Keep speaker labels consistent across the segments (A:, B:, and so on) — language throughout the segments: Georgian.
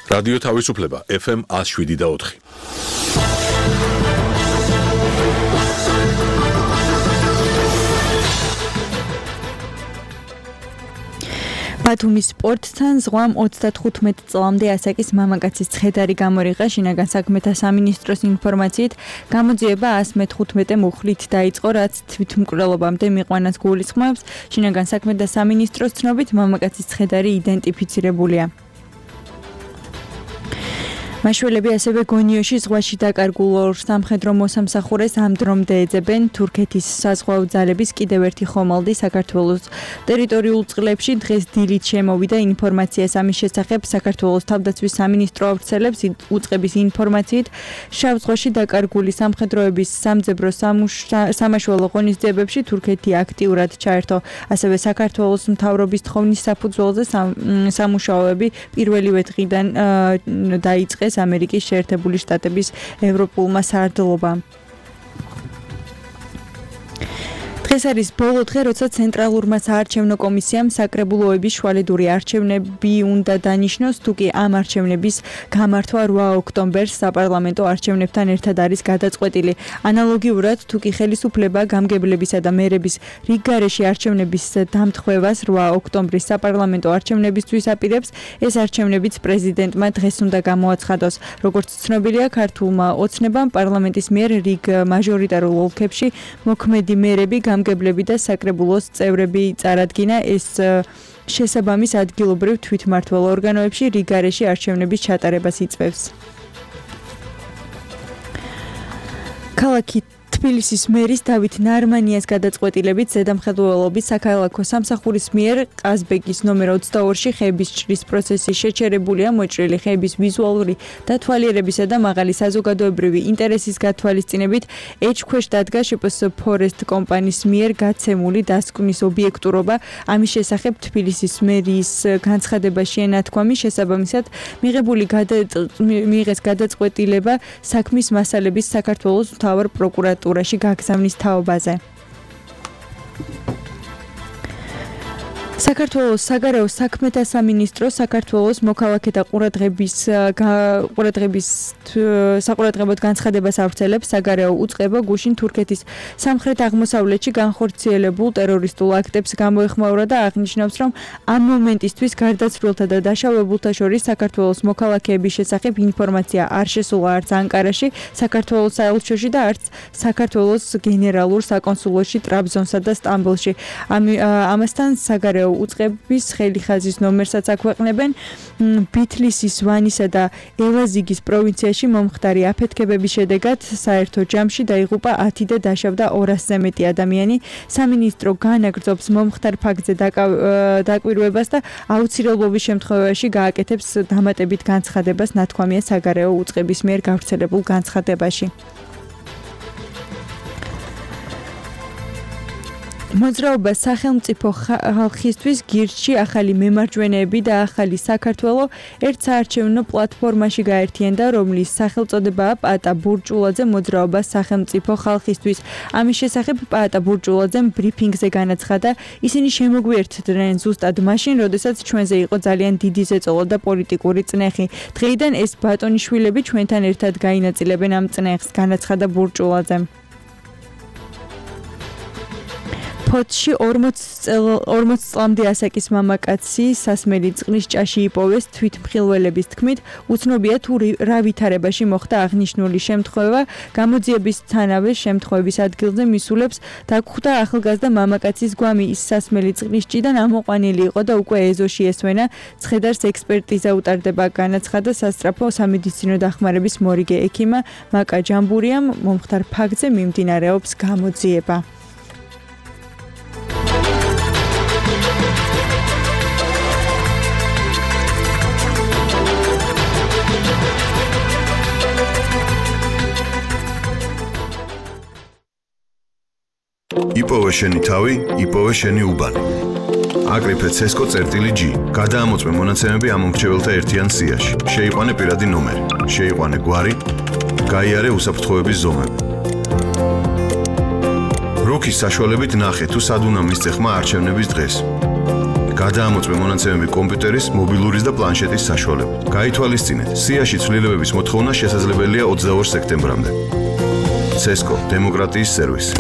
A: რადიო თავისუფლება FM 107.4.
B: ბათუმის სპორტთან ზღვამ 35 წლამდე ასაკის მამაკაცის ცხედარი გამორიყა. შინაგან საქმეთა სამინისტროს ინფორმაციით, გამოძიება 115 მუხლით დაიწყო, რაც თვითმკვლელობამდე მიყვანას გულისხმობს. შინაგან საქმეთა სამინისტროს ცნობით, მამაკაცის ცხედარი იდენტიფიცირებულია. მაშველები ასევე გონიოში ზღვაში დაკარგულ ორ სამხედრო მოსამსახურეს ამ დრომდე ეძებენ. თურქეთის საზღვაო ძალების კიდევ ერთი ხომალდი საქართველოს ტერიტორიულ წყლებში დღეს დილით შემოვიდა. ინფორმაციას ამის შესახებ საქართველოს თავდაცვის სამინისტრო ავრცელებს. უწყების ინფორმაციით, შავ ზღვაში დაკარგული სამხედროების სამძებრო სამაშველო ღონისძიებებში თურქეთი აქტიურად ჩაერთო. ასევე საქართველოს მთავრობის თხოვნის საფუძველზე სამუშაოები პირველივე დღიდან დაიწყეს ამერიკის შეერთებული შტატების ევროპულმა სარდლობამ. დღეს არის ბოლო დღე, როცა ცენტრალურმა საარჩევნო კომისიამ საკრებულოების შვალედური არჩევნები უნდა დანიშნოს, თუკი ამ არჩევნების გამართვა 8 ოქტომბერს საპარლამენტო არჩევნებთან ერთად არის გადაწყვეტილი. ანალოგიურად, თუკი ხელისუფლება გამგებლებისა და მერების რიგგარეშე არჩევნების დამტხვევას 8 ოქტომბრის საპარლამენტო არჩევნებისთვის აპირებს, ეს არჩევნებიც პრეზიდენტმა დღეს უნდა გამოაცხადოს. როგორც ცნობილია, ქართულმა ოცნებამ პარლამენტის მიერ რიგ მაჟორიტარულ ოლქებში მოქმედი მერები გამგებლები და საკრებულოს წევრები წარადგინა. ეს შესაბამის ადგილობრივ თვითმმართველ ორგანოებში რიგგარეშე არჩევნების ჩატარებას იწვევს. ქალაქი თბილისის მერის დავით ნარმანიას გადაწყვეტილებით ზედამხედველობის საქალაქო სამსახურის მიერ ყაზბეგის ნომერ 22-ში ხეების ჭრის პროცესი შეჩერებულია. მოჭრილი ხეების ვიზუალური დათვალიერებისა და მაღალი საზოგადოებრივი ინტერესის გათვალისწინებით ეჭქვეშ დადგა შპს ფორესტ კომპანიის მიერ გაცემული დასკვნის ობიექტურობა. ამის შესახებ თბილისის მერის განცხადებაში ენათქვამი, შესაბამისად მიიღეს გადაწყვეტილება საქმის მასალების საქართველოს მთავარ პროკურატურაში გაგზავნის თაობაზე. საქართველოს საგარეო საქმეთა სამინისტრო საქართველოს მოქალაქეთა საყურადღებოდ განცხადებას ავრცელებს. საგარეო უწყება გუშინ თურქეთის სამხრეთ აღმოსავლეთში განხორციელებულ ტერორისტულ აქტებს გამოეხმაურა და აღნიშნავს, რომ ამ მომენტისთვის გარდაცვლილთა და დაშავებულთა შორის საქართველოს მოქალაქეების შესახებ ინფორმაცია არ შესულა არც ანკარაში, საქართველოს საელჩოში და არც საქართველოს გენერალურ საკონსულოში ტრაბზონსა და სტამბოლში. ამასთან საგარეო უწყების ხელიხაზის ნომერსაც აქვეყნებენ. ბითლისის, ვანისა და ელაზიგის პროვინციაში მომხდარი აფეთქებების შედეგად საერთო ჯამში დაიღუპა 10 და დაშავდა 200-ზე მეტი ადამიანი. სამინისტრო განაგრძობს მომხდარ ფაქტზე დაკვირვებას და აუცილებლობის შემთხვევაში გააკეთებს დამატებით განცხადებას, ნათქვამია საგარეო უწყების მიერ გავრცელებულ განცხადებაში. მოძრაობა სახელმწიფო ხალხისთვის გირჩი ახალი მემარჯვენეები და ახალი საქართველო ერთ საარჩევნო პლატფორმაში გაერთიანდა, რომლის სახელწოდებაა პაატა ბურჭულაძე მოძრაობა სახელმწიფო ხალხისთვის. ამის შესახებ პაატა ბურჭულაძემ ბრიფინგზე განაცხადა, ისინი შემოგვიერთდნენ ზუსტად მაშინ, როდესაც ჩვენზე იყო ძალიან დიდი ზეწოლა და პოლიტიკური წნეხი. დღეიდან ეს ბატონიშვილები ჩვენთან ერთად გაინაწილებენ ამ წნეხს, განაცხადა ბურჭულაძემ. ფოთში 40 წლამდე ასაკის მამაკაცი სასმელი წყლის ჭაში იპოვეს. თვითმხილველების თქმით, უცნობია თუ რა ვითარებაში მოხდა აღნიშნული შემთხვევა. გამოძიებისთანავე შემთხვევების ადგილზე მისულებს დაგხვდა ახალგაზრდა მამაკაცის გვამი. ის სასმელი წყლის ჭიდან ამოყვანილი იყო და უკვე ეზოში ესვენა. ცხედარს ექსპერტიზა უტარდება, განაცხადა სასწრაფო სამედიცინო დახმარების მორიგე ექიმა მაკა ჯამბურიამ. მომხდარ ფაქტზე მიმდინარეობს გამოძიება.
C: იპოვე შენი თავი, იპოვე შენი უბანი. აკრიფე CESCO-G. გადაამოწმე მონაცემები ამ მომრჩეველთა ერთიან სიაში. შეიყვანე პირადი ნომერი, შეიყვანე გვარი, გაიარე უსაფრთხოების ზომები. რუქის საშუალებით ნახე თუ სად უნდა მისცე ხმა არჩევნების დღეს. გადაამოწმე მონაცემები კომპიუტერის, მობილურის და პლანშეტის საშუალებით. გაითვალისწინეთ, სიაში ცვლილებების მოთხოვნა შესაძლებელია 22 სექტემბრამდე. CESCO დემოკრატიის სერვისი.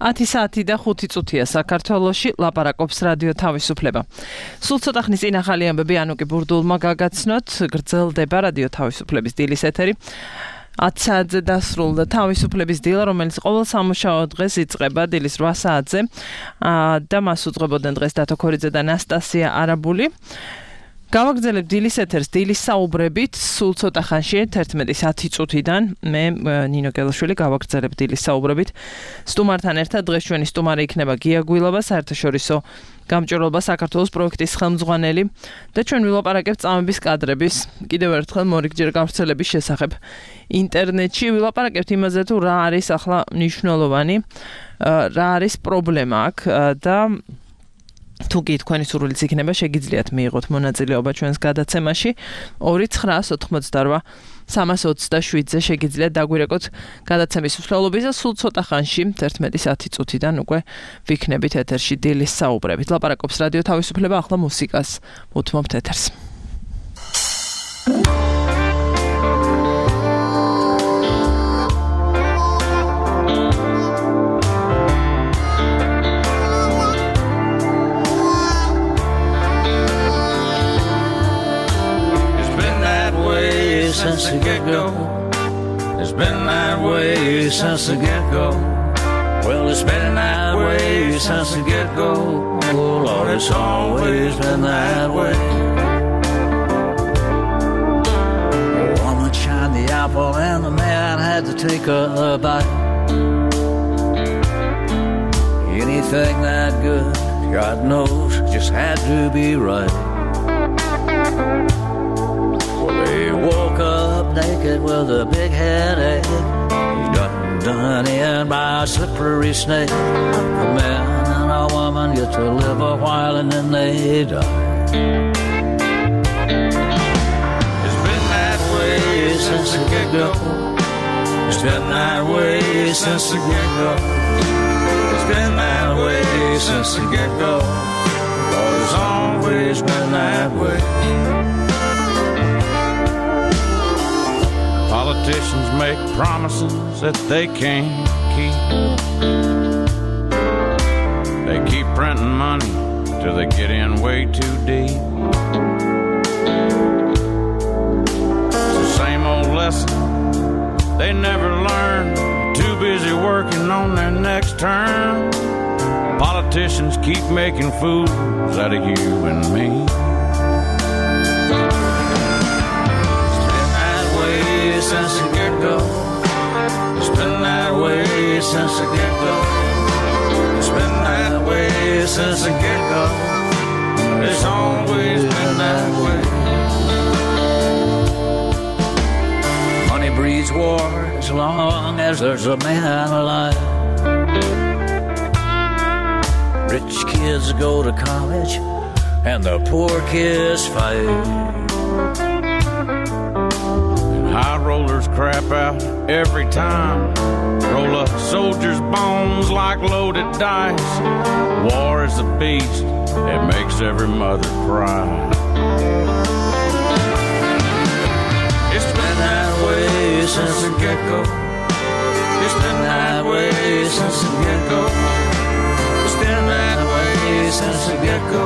D: 10 საათი და 5 წუთია საქართველოში ლაპარაკობს რადიო თავისუფლება. სულ ცოტა ხნის წინ ახალი ამბები ანუკი ბურდულმა გაგაცნოთ, გრძელდება რადიო თავისუფლების დილის ეთერი. 10 საათზე დასრულდა თავისუფლების დილა, რომელიც ყოველ სამუშაო დღეს იწყება დილის 8 საათზე და მას უძღვებოდნენ დღეს დათო ქორიძე და ნასტასია არაბული. გავაგრძელებ დილის ეთერს დილის საუბრებით, სულ ცოტა ხანში 11:10 წუთიდან მე ნინო გელაშვილი გავაგრძელებ დილის საუბრებით. სტუმართან ერთად დღეს ჩვენი სტუმარი იქნება გია გვილობა, საერთაშორისო გამჭვირვალობა საქართველოს პროექტის ხელმძღვანელი და ჩვენ ვილაპარაკებთ წამების კადრების კიდევ ერთხელ მორიგჯერ გავრცელების შესახებ. ინტერნეტში ვილაპარაკებთ იმაზე თუ რა არის ახლა მნიშვნელოვანი, რა არის პრობლემა აქ და თუ კი თქვენი სურვილიც იქნება, შეგიძლიათ მიიღოთ მონაწილეობა ჩვენს გადაცემაში 2988 327-ზე შეგიძლიათ დაგვირეკოთ გადაცემის მსვლელობის და სულ ცოტა ხანში 11:10 წუთიდან უკვე ვიქნებით ეთერში დილის საუბრებით. ლაპარაკობს რადიო თავისუფლება, ახლა მუსიკას უთმობთ ეთერს.
E: Since the get-go, it's been that way since the get-go. Well, it's been that way since the get-go. Oh, Lord, it's always been that way. Oh, woman shined the apple and the man had to take a bite. Anything that good, God knows, just had to be right. He woke up naked with a big headache. He's done in by a slippery snake. A man and a woman get to live a while and then they die. It's been that way since the get-go. It's been that way since the get-go. It's been that way since the get-go. Lord, it's always been that way. Politicians make promises that they can't keep. They keep printing money till they get in way too deep. It's the same old lesson they never learn. Too busy working on their next term. Politicians keep making fools out of you and me. Since the get-go, it's been that way since the get-go. It's been that way since the get-go. It's always been that way. Money breeds war as long as there's a man alive. Rich kids go to college and the poor kids fight. High rollers crap out every time. Roll up soldiers' bones like loaded dice. War is a beast, it makes every mother cry. It's been that way since the get-go. It's been that way since the get-go. It's been that way since the get-go.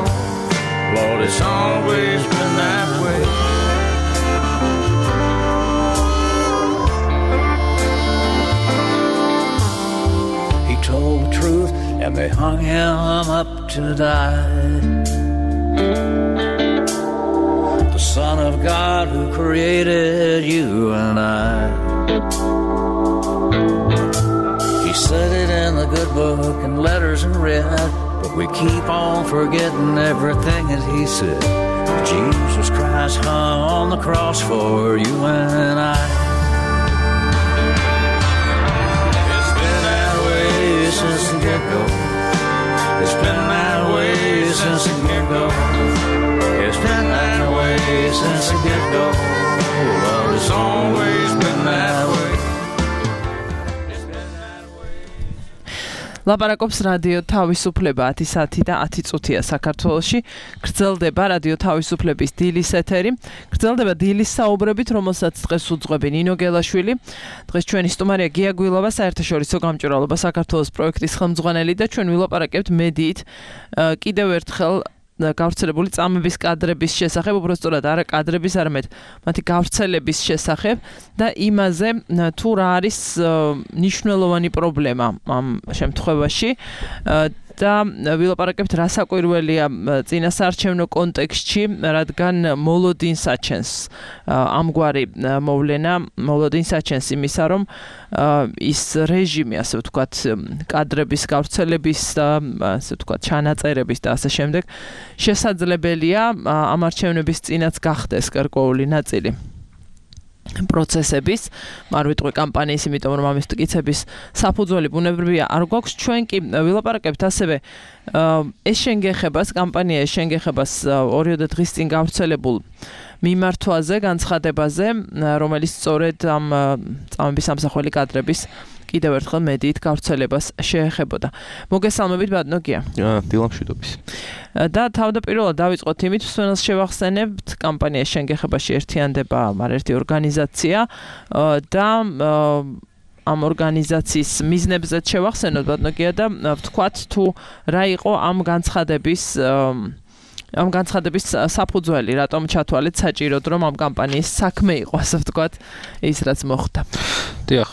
E: Lord, it's always been that way. Told the truth and they hung him up to die. The Son of God who created you and I. He said it in the good book and letters in red, but we keep on forgetting everything that he said. Jesus Christ hung on the cross for you and I. Since the get-go, it's been that way since the get-go. It's been that way since the get-go. Lord, it's always been that way.
D: ლაპარაკობს რადიო თავისუფლება 10 საათი და 10 წუთია საქართველოში. გრძელდება რადიო თავისუფლების დილის ეთერი. გრძელდება დილის საუბრებით, რომელსაც დღეს უძღვები ნინო გელაშვილი. დღეს ჩვენი სტუმარია გია გვილავა, საერთაშორისო გამჭვირვალობა საქართველოს პროექტის ხელმძღვანელი და ჩვენ ვილაპარაკებთ მედიით კიდევ ერთხელ გავრცელებული წამების კადრების შესახებ, უბრალოდ არა კადრების, არამედ მათი გავრცელების შესახებ და იმაზე, თუ რა არის მნიშვნელოვანი პრობლემა ამ შემთხვევაში და ვილაპარაკებთ რა საკვირველია წინასაარჩევნო კონტექსტში, რადგან მოლოდინს აჩენს ამგვარი მოვლენა, მოლოდინს აჩენს იმისა, რომ ის რეჟიმი, ასე ვთქვათ, კადრების გავრცელების და ასე ვთქვათ, ჩანაწერების და ასე შემდეგ შესაძლებელია ამ არჩევნების წინაც გახდეს გარკვეული ნაწილი პროცესების, არ ვიტყვი კამპანიის, იმიტომ რომ ამის მტკიცების საფუძველი ბუნებრივია არ გვაქვს. ჩვენ კი ვილაპარაკებთ ასევე ეს შენგეხებას, კამპანია შენგეხებას 2 დღის წინ გავრცელებულ მიმართვაზე, განცხადებაზე, რომელიც სწორედ ამ წამების სამსახველი კადრების კიდევ ერთხელ მედიით გავრცელებას შეეხებოდა. მოგესალმებით ბატონო გია.
F: დილამშვიდობის.
D: და თავდაპირველად დავიწყოთ იმით, სვენელს შევახსენებთ, კამპანია შენგეხებაში ერთიანდება არაერთი ორგანიზაცია და ამ ორგანიზაციის მიზნებზეც შევახსენოთ ბატონო გია და ვთქვათ თუ რა იყო ამ განცხადების საფუძველი, რატომ ჩათვალეთ საჭიროდ რომ ამ კამპანიის საქმე იყო, ასე ვთქვათ, ის რაც მოხდა.
F: დიახ,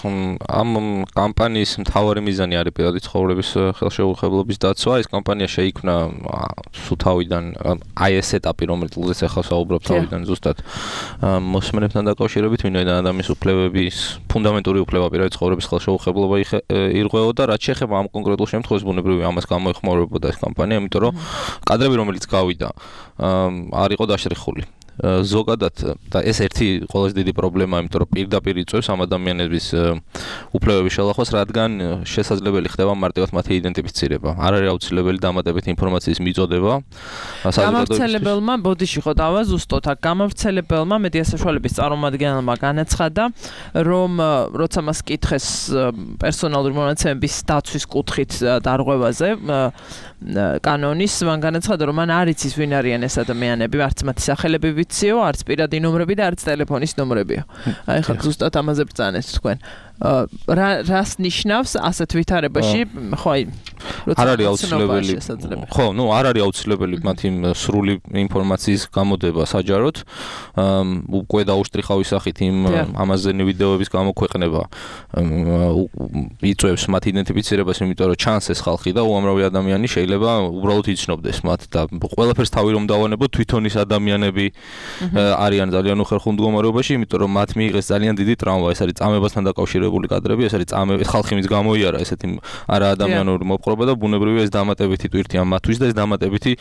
F: ამ კამპანიის მთავარი მიზანი არის პირადი ცხოვრების ხელშეუხებლობის დაცვა. ეს კამპანია შეიქმნა თავიდან, აი ეს ეტაპი, რომელზეც ახლა საუბრობ, თავიდან ზუსტად მოსმენებთან დაკავშირებით, ვინაიდან ადამიანის უფლებების ფუნდამენტური უფლება პირადი ცხოვრების ხელშეუხებლობა ირღვეოდა, რაც შეეხება ამ კონკრეტულ შემთხვევას, ბუნებრივია ამას გამოეხმაურებოდა ეს კამპანია, იმიტომ რომ კადრები, რომელიც გავიდა, არ იყო დაშრიხული. ზოგადად და ეს ერთი ყველაზე დიდი პრობლემა, იმიტომ რომ პირდაპირ იწვევს ამ ადამიანების უფლებების შელახვას, რადგან შესაძლებელი ხდება მარტივად მათი იდენტიფიცირება. არ არის აუცილებელი დამატებითი ინფორმაციის მიწოდება.
D: გამავრცელებელმა ბოდიში ხო დავა ზუსტად აქ გამავრცელებელმა მედია საშუალების წარმომადგენელმა განაცხადა, რომ როცა მას კითხეს პერსონალური მონაცემების დაცვის კუთხით დარღვევაზე კანონის, მან განაცხადა, რომ მან არ იცის ვინ არიან ეს ადამიანები, არც მათი სახელები ვიციო, არც პირადი ნომრები და არც ტელეფონის ნომრებიო. აი ხა ზუსტად ამაზე ბრძანეთ თქვენ. რას ნიშნავს ასეთ ვითარებაში, ხო აი
F: არ არის აუცილებელი. ხო, არ არის აუცილებელი მათი სრული ინფორმაციის გამოდება საჯაროდ. უკვე დაუშტრიხავი სახით იმ ამაზენი ვიდეოების გამოქვეყნება იწვევს მათ იდენტიფიცირებას, იმიტომ რომ ჩანს ეს ხალხი და უამრავი ადამიანი შეიძლება უბრალოდ იცნობდეს მათ და ყველაფერს თავი რომ დავანებოთ, თვითონ ის ადამიანები არიან ძალიან უხერხულ მდგომარეობაში, იმიტომ რომ მათ მიიღეს ძალიან დიდი ტრავმა, ეს არის წამებასთან დაკავშირებული კადრები, ეს არის წამები, ხალხი მის გამოიარა ესეთი არაადამიანური მოპყრობა და ბუნებრივია ეს დამატებითი ტვირთია მათთვის და ეს დამატებითი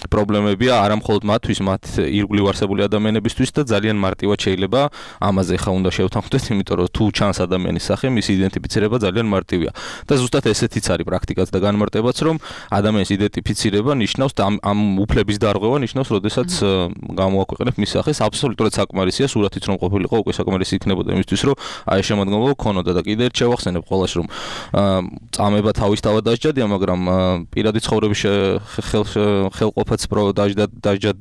F: პრობლემებია არა მხოლოდ მათთვის, მათ ირგვლივ არსებული ადამიანებისთვის და ძალიან მარტივად შეიძლება ამაზე ხა უნდა შევთანხმდეთ, იმიტომ რომ თუ ჩანს ადამიანის სახე, მის იდენტიფიცირება ძალიან მარტივია. და ზუსტად ესეთიც არის პრაქტიკაც და განმარტებაც, რომ ადამიანის იდენტიფიცირება ნიშნავს და ამ უფლების დარღვევა ნიშნავს, როდესაც გამოაქვეყნებ მის სახეს, აბსოლუტურად საკმარისია, სურათიც რომ ყოფილიყო, უკვე საკმარისი იქნებოდა იმისთვის, რომ აი შემოდგომა ქონოდა და კიდევ ერთ შევახსენებ ყველას, რომ წამება თავისთავად დასჯადია, მაგრამ პირადი ცხოვრების ხელყოფაც დასჯად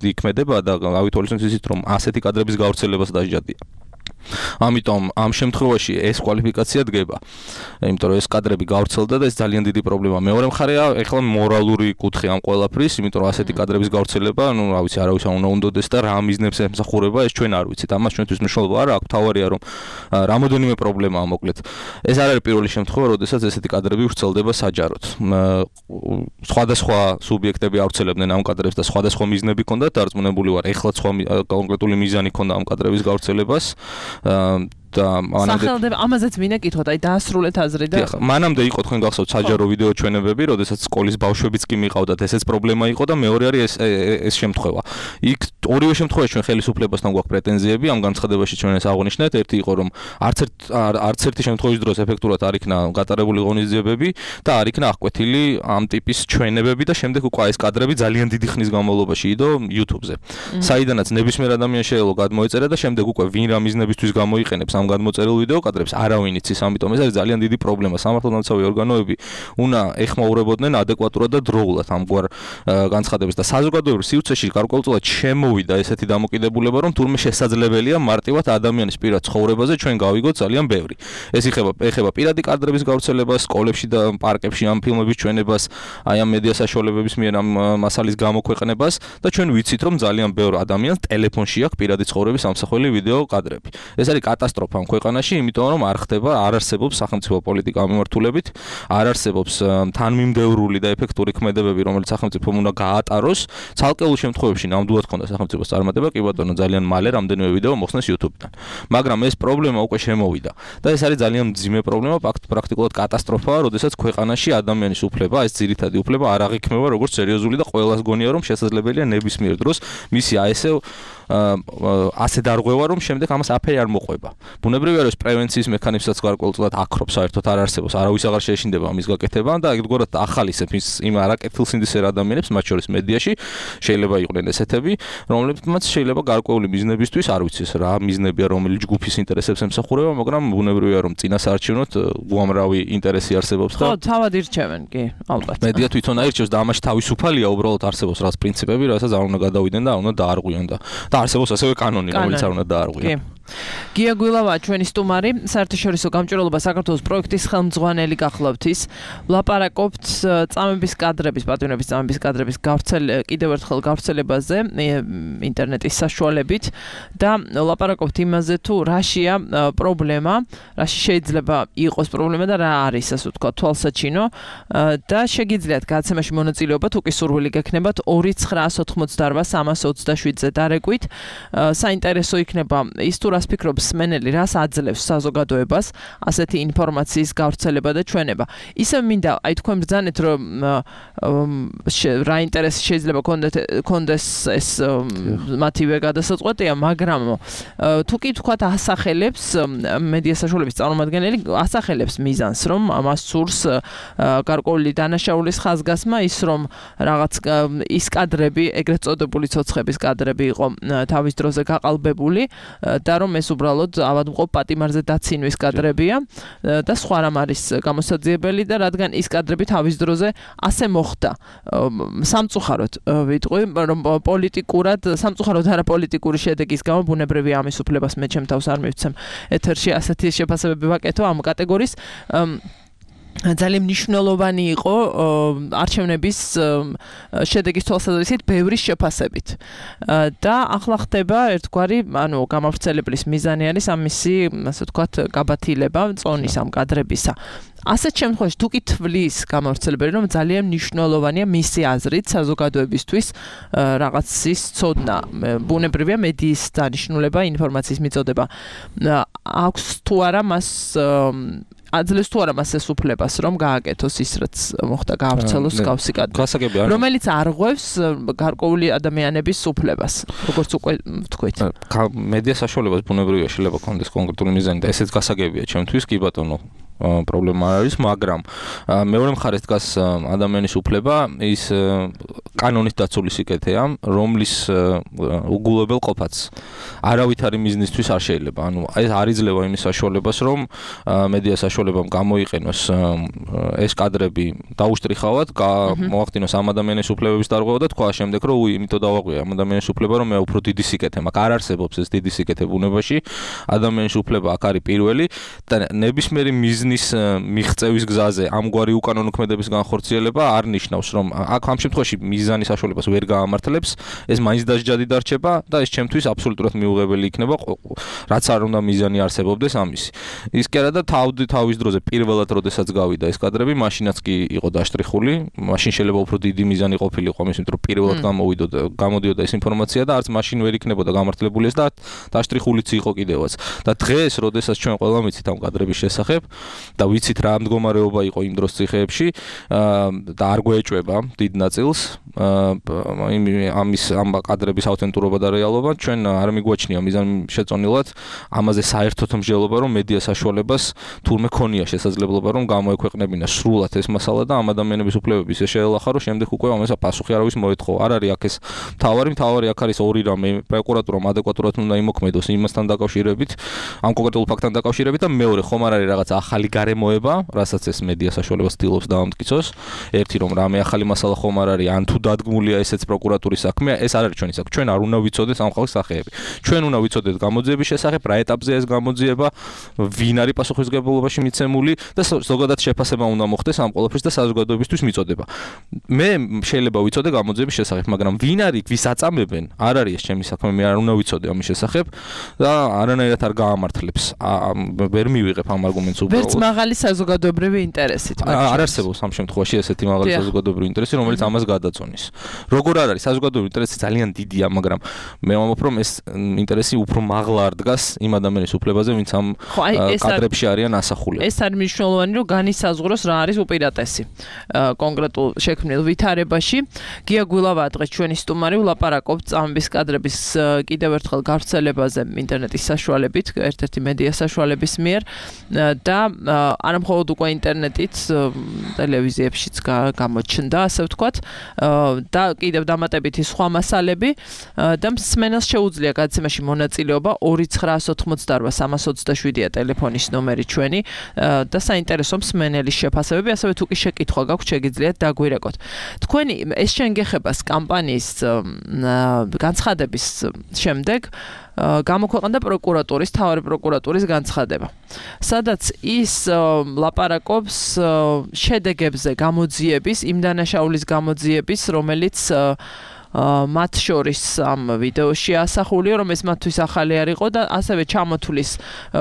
F: იქმედება და ავითვალისწინოთ ისიც, რომ ასეთი კადრების გავრცელებას დასჯადია. ამიტომ ამ შემთხვევაში ეს კვალიფიკაცია დგება. იმიტომ რომ ეს კადრები გავრცელდა და ეს ძალიან დიდი პრობლემა. მეორე მხარეა, ეხლა მორალური კუთხე ამ ყველაფრის, იმიტომ რომ ასეთი კადრების გავრცელება, რა ვიცი, არავის არ უნდა უნდოდეს და რა მიზნებს ემსახურება, ეს ჩვენ არ ვიცით. ამას ჩვენთვის მნიშვნელობა არ აქვს. თავარია რომ რამოდენიმე პრობლემაა მოკლედ. ეს არ არის პირველი შემთხვევა, როდესაც ესეთი კადრები ვრცელდება საჯაროდ. სხვადასხვა სუბიექტები ავრცელებდნენ ამ კადრებს და სხვადასხვა მიზნები ჰქონდათ დარწმუნებული ვარ. ეხლა სხვა კონკრეტული მიზანი ჰქონდა ამ კადრების გავრცელებას.
D: სახელდება ამაზეც მინდა კითხოთ, აი დაასრულეთ აზრი და
F: მანამდე იყო თქვენ გახსოვთ საჯარო ვიდეო ჩვენებები, როდესაც სკოლის ბავშვებიც კი მიყავდათ, ესეც პრობლემა იყო და მეორე არის ეს შემთხვევა. იქ ორივე შემთხვევაში ჩვენ ხელისუფლებასთან გვაქვს პრეტენზიები, ამ განცხადებაში ჩვენ ეს აღვნიშნეთ, ერთი იყო რომ არც ერთი შემთხვევის დროს ეფექტურად არ იქნა გატარებული ღონისძიებები და არ იქნა აღკვეთილი ამ ტიპის ჩვენებები და შემდეგ უკვე ეს კადრები ძალიან დიდი ხნის განმავლობაში იდო YouTube-ზე. საიდანაც ნებისმიერ ადამიანს შეიძლება გადმოეწერა და შემდეგ უკვე ვინ რა მიზნებისთვის გამოიყენებს ამ ამ გადმოწერილ ვიდეო კადრებს არავინ იცის, ამიტომ ეს არის ძალიან დიდი პრობლემა. სამართალდამცავი ორგანოები უნდა ეხმაურებოდნენ ადეკვატურად და დროულად ამგვარ განცხადებას და საზოგადოებრივ სივრცეში გარკვეულწილად შემოვიდა ესეთი დამოკიდებულება, რომ თურმე შესაძლებელია მარტივად ადამიანის პირად ცხოვრებაზე ჩვენ გავიგოთ ძალიან ბევრი. ეს ეხება პირადი კადრების გავრცელებას, სკოლებში და პარკებში ამ ფილმების ჩვენებას, აი ამ მედია საშუალებების მიერ ამ მასალის გამოქვეყნებას და ჩვენ ვიცით, რომ ძალიან ბევრ ადამიანს ტელეფონში აქვს პირადი ცხოვრების ამსახველი ვიდეო კადრები. ეს არის კატასტროფა ამ ქვეყანაში, იმიტომ რომ არ არსებობს სახელმწიფო პოლიტიკა მიმართულებით, არ არსებობს თანმიმდევრული და ეფექტური ქმედებები, რომელიც სახელმწიფომ უნდა გაატაროს. ცალკეულ შემთხვევებში ნამდვილად ქონდა სახელმწიფოს წარმატება, კი ბატონო, ძალიან მალე რამდენიმე ვიდეო მოხსნეს YouTube-დან. მაგრამ ეს პრობლემა უკვე შემოვიდა და ეს არის ძალიან მძიმე პრობლემა, პრაქტიკულად კატასტროფაა, როდესაც ქვეყანაში ადამიანის უფლება, ეს ძირითადი უფლება არ აღიქმება როგორც სერიოზული და ყველას გონია, რომ შესაძლებელია ნებისმიერ დროს მისი ასე დარღვევა, რომ შემდეგ ამას აფერი არ მოყვება. ბუნებრივია, რომ პრევენციის მექანიზმსაც გარკვეულწილად აქრობს, საერთოდ არ არსებობს, არავის აღარ შეეშინდება ამის გაკეთება და ეგრეთ ახალისებს იმ არაკეთილსინდისერ ადამიანებს, მათ შორის მედიაში, შეიძლება იყვნენ ესეთები, რომლებმაც შეიძლება გარკვეული მიზნებისთვის, არ ვიცი რა მიზნებია, რომელი ჯგუფის ინტერესებს ემსახურება, მაგრამ ბუნებრივია, რომ წინასაარჩევნოდ უამრავი ინტერესი არსებობს და
D: ხო, თავად ირჩევენ, კი, ალბათ.
F: მედია თვითონ აირჩევს და ამაში თავისუფალია, უბრალოდ არსებობს რაღაც პრინციპები, რასაც არ უნდა გადავიდნენ და არ უნდა დაარღვიონ და არსებობს ასევე კანონი, რომელიც არ უნდა დაარღვიონ.
D: გია გვილავა ჩვენი სტუმარი, საერთაშორისო გამჭვირვალობა საქართველოს პროექტის ხელმძღვანელი გახლავთ ის. ვლაპარაკობთ წამების კადრების, პატიმრების წამების კადრების კიდევ ერთხელ გავრცელებაზე ინტერნეტის საშუალებით და ვლაპარაკობთ იმაზე თუ რაშია პრობლემა, რაში შეიძლება იყოს პრობლემა და რა არის, ასე ვთქვათ, თვალსაჩინო და შეგიძლიათ გადაცემაში მონაწილეობა, თუ კი სურვილი გექნებათ 2988327-ზე დარეკვით. საინტერესო იქნება ის თუ რას ფიქრობს მსმენელი, რას აძლევს საზოგადოებას ასეთი ინფორმაციის გავრცელება და ჩვენება. ისევ მინდა აი თქვენ ბრძანეთ, რომ რა ინტერესი შეიძლება კონდეს ეს მათივე გადასაწყვეტია, მაგრამ თუ კი თქვათ ასახელებს მედია საშუალების წარმომადგენელი ასახელებს მიზანს, რომ მას სურს გარკვეული დანაშაულის ხაზგასმა, ის რომ რაღაც ის კადრები, ეგრეთ წოდებული ცოცხების კადრები იყო თავის დროზე გაყალბებული და რომ ეს უბრალოდ ავადმყოფ პატიმარზე დაცინვის კადრებია და სხვა რამ არის გამოსაძიებელი და რადგან ის კადრები თავის დროზე ასე მოხდა სამწუხაროდ ვიტყვი რომ პოლიტიკურად სამწუხაროდ არა პოლიტიკური შედეგის გამო ბუნებრივია ამის უფლებას მე ჩემ თავს არ მივცემ ეთერში ასეთი შეფასებები ვაკეთო ამ კატეგორიის ძალიან მნიშვნელოვანი იყო არჩევნების შედეგის თვალსაზრისით ბევრი შეფასებით და ახლა ხდება ერთგვარი ანუ გამავრცელებლის მიზანი არის ამისი ასე ვთქვათ გაბათილება წონის ამ კადრებისა ასეთ შემთხვევაში თუ კი თვლის გამავრცელებელი რომ ძალიან მნიშვნელოვანია მისი აზრით საზოგადოებისთვის რაღაცის ცოდნა ბუნებრივია მედიის დანიშნულება ინფორმაციის მიწოდება აქვს თუ არა მას აძლევს თუ არა მას ეს უფლებას რომ გააკეთოს ის რაც მოხდა გაავრცელოს გავსი კადრი რომელიც არღვევს გარკვეული ადამიანების უფლებას როგორც უკვე ვთქვით
F: მედია საშუალებას ბუნებრივია შეიძლება კონდეს კონკრეტული მიზანი და ესეც გასაგებია ჩემთვის კი ბატონო პრობლემა არის, მაგრამ მეორე მხარეს დგას ადამიანის უფლება ის კანონით დაცული სიკეთეა, რომლის უგულებელ ყოფაც არავითარი მიზნისთვის არ შეიძლება. ანუ ეს არ იძლევა იმის საშუალებას, რომ მედია საშუალებამ გამოიყენოს ეს კადრები დაუშტრიხავად, მოახდინოს ამ ადამიანის უფლებების დარღვევა და თქვა შემდეგ, რომ იმიტომ დავაღვია ამ ადამიანის უფლება, რომ მე უფრო დიდი სიკეთე მაქვს. არ არსებობს ეს დიდი სიკეთე ბუნებაში. ადამიანის უფლება აქ არის პირველი და ნებისმიერი მიზნის მიღწევის გზაზე ამგვარი უკანონო ქმედების განხორციელება არ ნიშნავს რომ აქ ამ შემთხვევაში მიზანის საშუალებას ვერ გაამართლებს ეს მაინც დასჯადი დარჩება და ეს ჩემთვის აბსოლუტურად მიუღებელი იქნება რაც არ უნდა მიზანი არსებობდეს ამისი ის კი არა და თავის დროზე პირველად როდესაც გავიდა ეს კადრები მაშინაც კი იყო დაშტრიხული მაშინ შეიძლება უფრო დიდი მიზანი ყოფილიყო ამის იმიტომ რომ პირველად გამოდიოდა ეს ინფორმაცია და არც მაშინ ვერ იქნებოდა გამართლებული ეს და დაშტრიხულიც იყო კიდევაც და დღეს როდესაც ჩვენ ყველა მიცით ამ კადრების შესახებ და ვიცით რა მდგომარეობა იყო იმ დროს ციხეებში და არ გვეჭვება დიდ ნაწილს ამის ამ კადრების ავთენტურობა და რეალობა ჩვენ არ მიგვაჩნია მიზან შეწონილად ამაზე საერთოდ მსჯელობა რომ მედია საშუალებას თურმე ქონია შესაძლებლობა რომ გამოექვეყნებინა სრულად ეს მასალა და ამ ადამიანების უფლებების შეელახა რომ შემდეგ უკვე ამასა პასუხი არავის მოეთხოვა არ არის აქ ეს მთავარი აქ არის ორი რამე პროკურატურამ ადეკვატურად უნდა იმოქმედოს იმასთან დაკავშირებით ამ კონკრეტულ ფაქტთან დაკავშირებით და მეორე ხომ არ არის რაღაც ახალი გარემოება რასაც ეს მედია საშუალებას ცდილობს დაამტკიცოს ერთი რომ რამე ახალი მასალა ხომ არ არის ან თუ დადგმულია ესეც პროკურატურის საქმეა ეს არ არის ჩვენი საქმე ჩვენ არ უნდა ვიცოდეთ ამ ხალხის სახეები ჩვენ უნდა ვიცოდეთ გამოძიების შესახებ რა ეტაპზე ეს გამოძიება ვინ არის პასუხისმგებლობაში მიცემული და ზოგადად შეფასება უნდა მოხდეს ამ ყველაფრის და საზოგადოებისთვის მიწოდება მე შეიძლება ვიცოდე გამოძიების შესახებ მაგრამ ვინ არის ვის აწამებენ არ არის ეს ჩემი საქმე მე არ უნდა ვიცოდე ამის შესახებ და არანაირად არ გაამართლებს ვერ მივიღებ ამ არგუმენტს უბრალოდ
D: ვერც მაღალი საზოგადოებრივი ინტერესით
F: არ არსებობს ამ შემთხვევაში ესეთი მაღალი საზოგადოებრივი ინტერესი რომელიც ამას გადაწონის როგორ არ არის საზოგადოებრივი ინტერესი ძალიან დიდია მაგრამ მე ვამბობ რომ ეს ინტერესი უფრო მაღლა არ დგას იმ ადამიანის უფლებაზე ვინც ამ კადრებში არიან ასახულები
D: ეს არის მნიშვნელოვანი რომ განისაზღვროს რა არის უპირატესი კონკრეტულ შექმნილ ვითარებაში გია გვილავა დღეს ჩვენი სტუმარი ვლაპარაკობთ წამების კადრების კიდევ ერთხელ გავრცელებაზე ინტერნეტის საშუალებით ერთ-ერთი მედია საშუალების მიერ და არა მხოლოდ უკვე ინტერნეტით ტელევიზიებშიც გამოჩნდა ასე ვთქვათ და კიდევ დამატებითი სხვა მასალები და მსმენელს შეუძლია გადაცემაში მონაწილეობა 2988327-ია ტელეფონის ნომერი ჩვენი და საინტერესო მსმენელის შეფასებები ასევე თუ კი შეკითხვა გაქვთ შეგიძლიათ დაგვირეკოთ თქვენი ეს შენგეხებას კამპანიის განცხადების შემდეგ გამოქვეყნდა პროკურატურის თავარი პროკურატურის განცხადება სადაც ის ლაპარაკობს შედეგებზე გამოძიების იმ დანაშაულის გამოძიების რომელიც მათ შორის ამ ვიდეოში ასახულია რომ ეს მათთვის ახალი არ იყო და ასევე ჩამოთვლის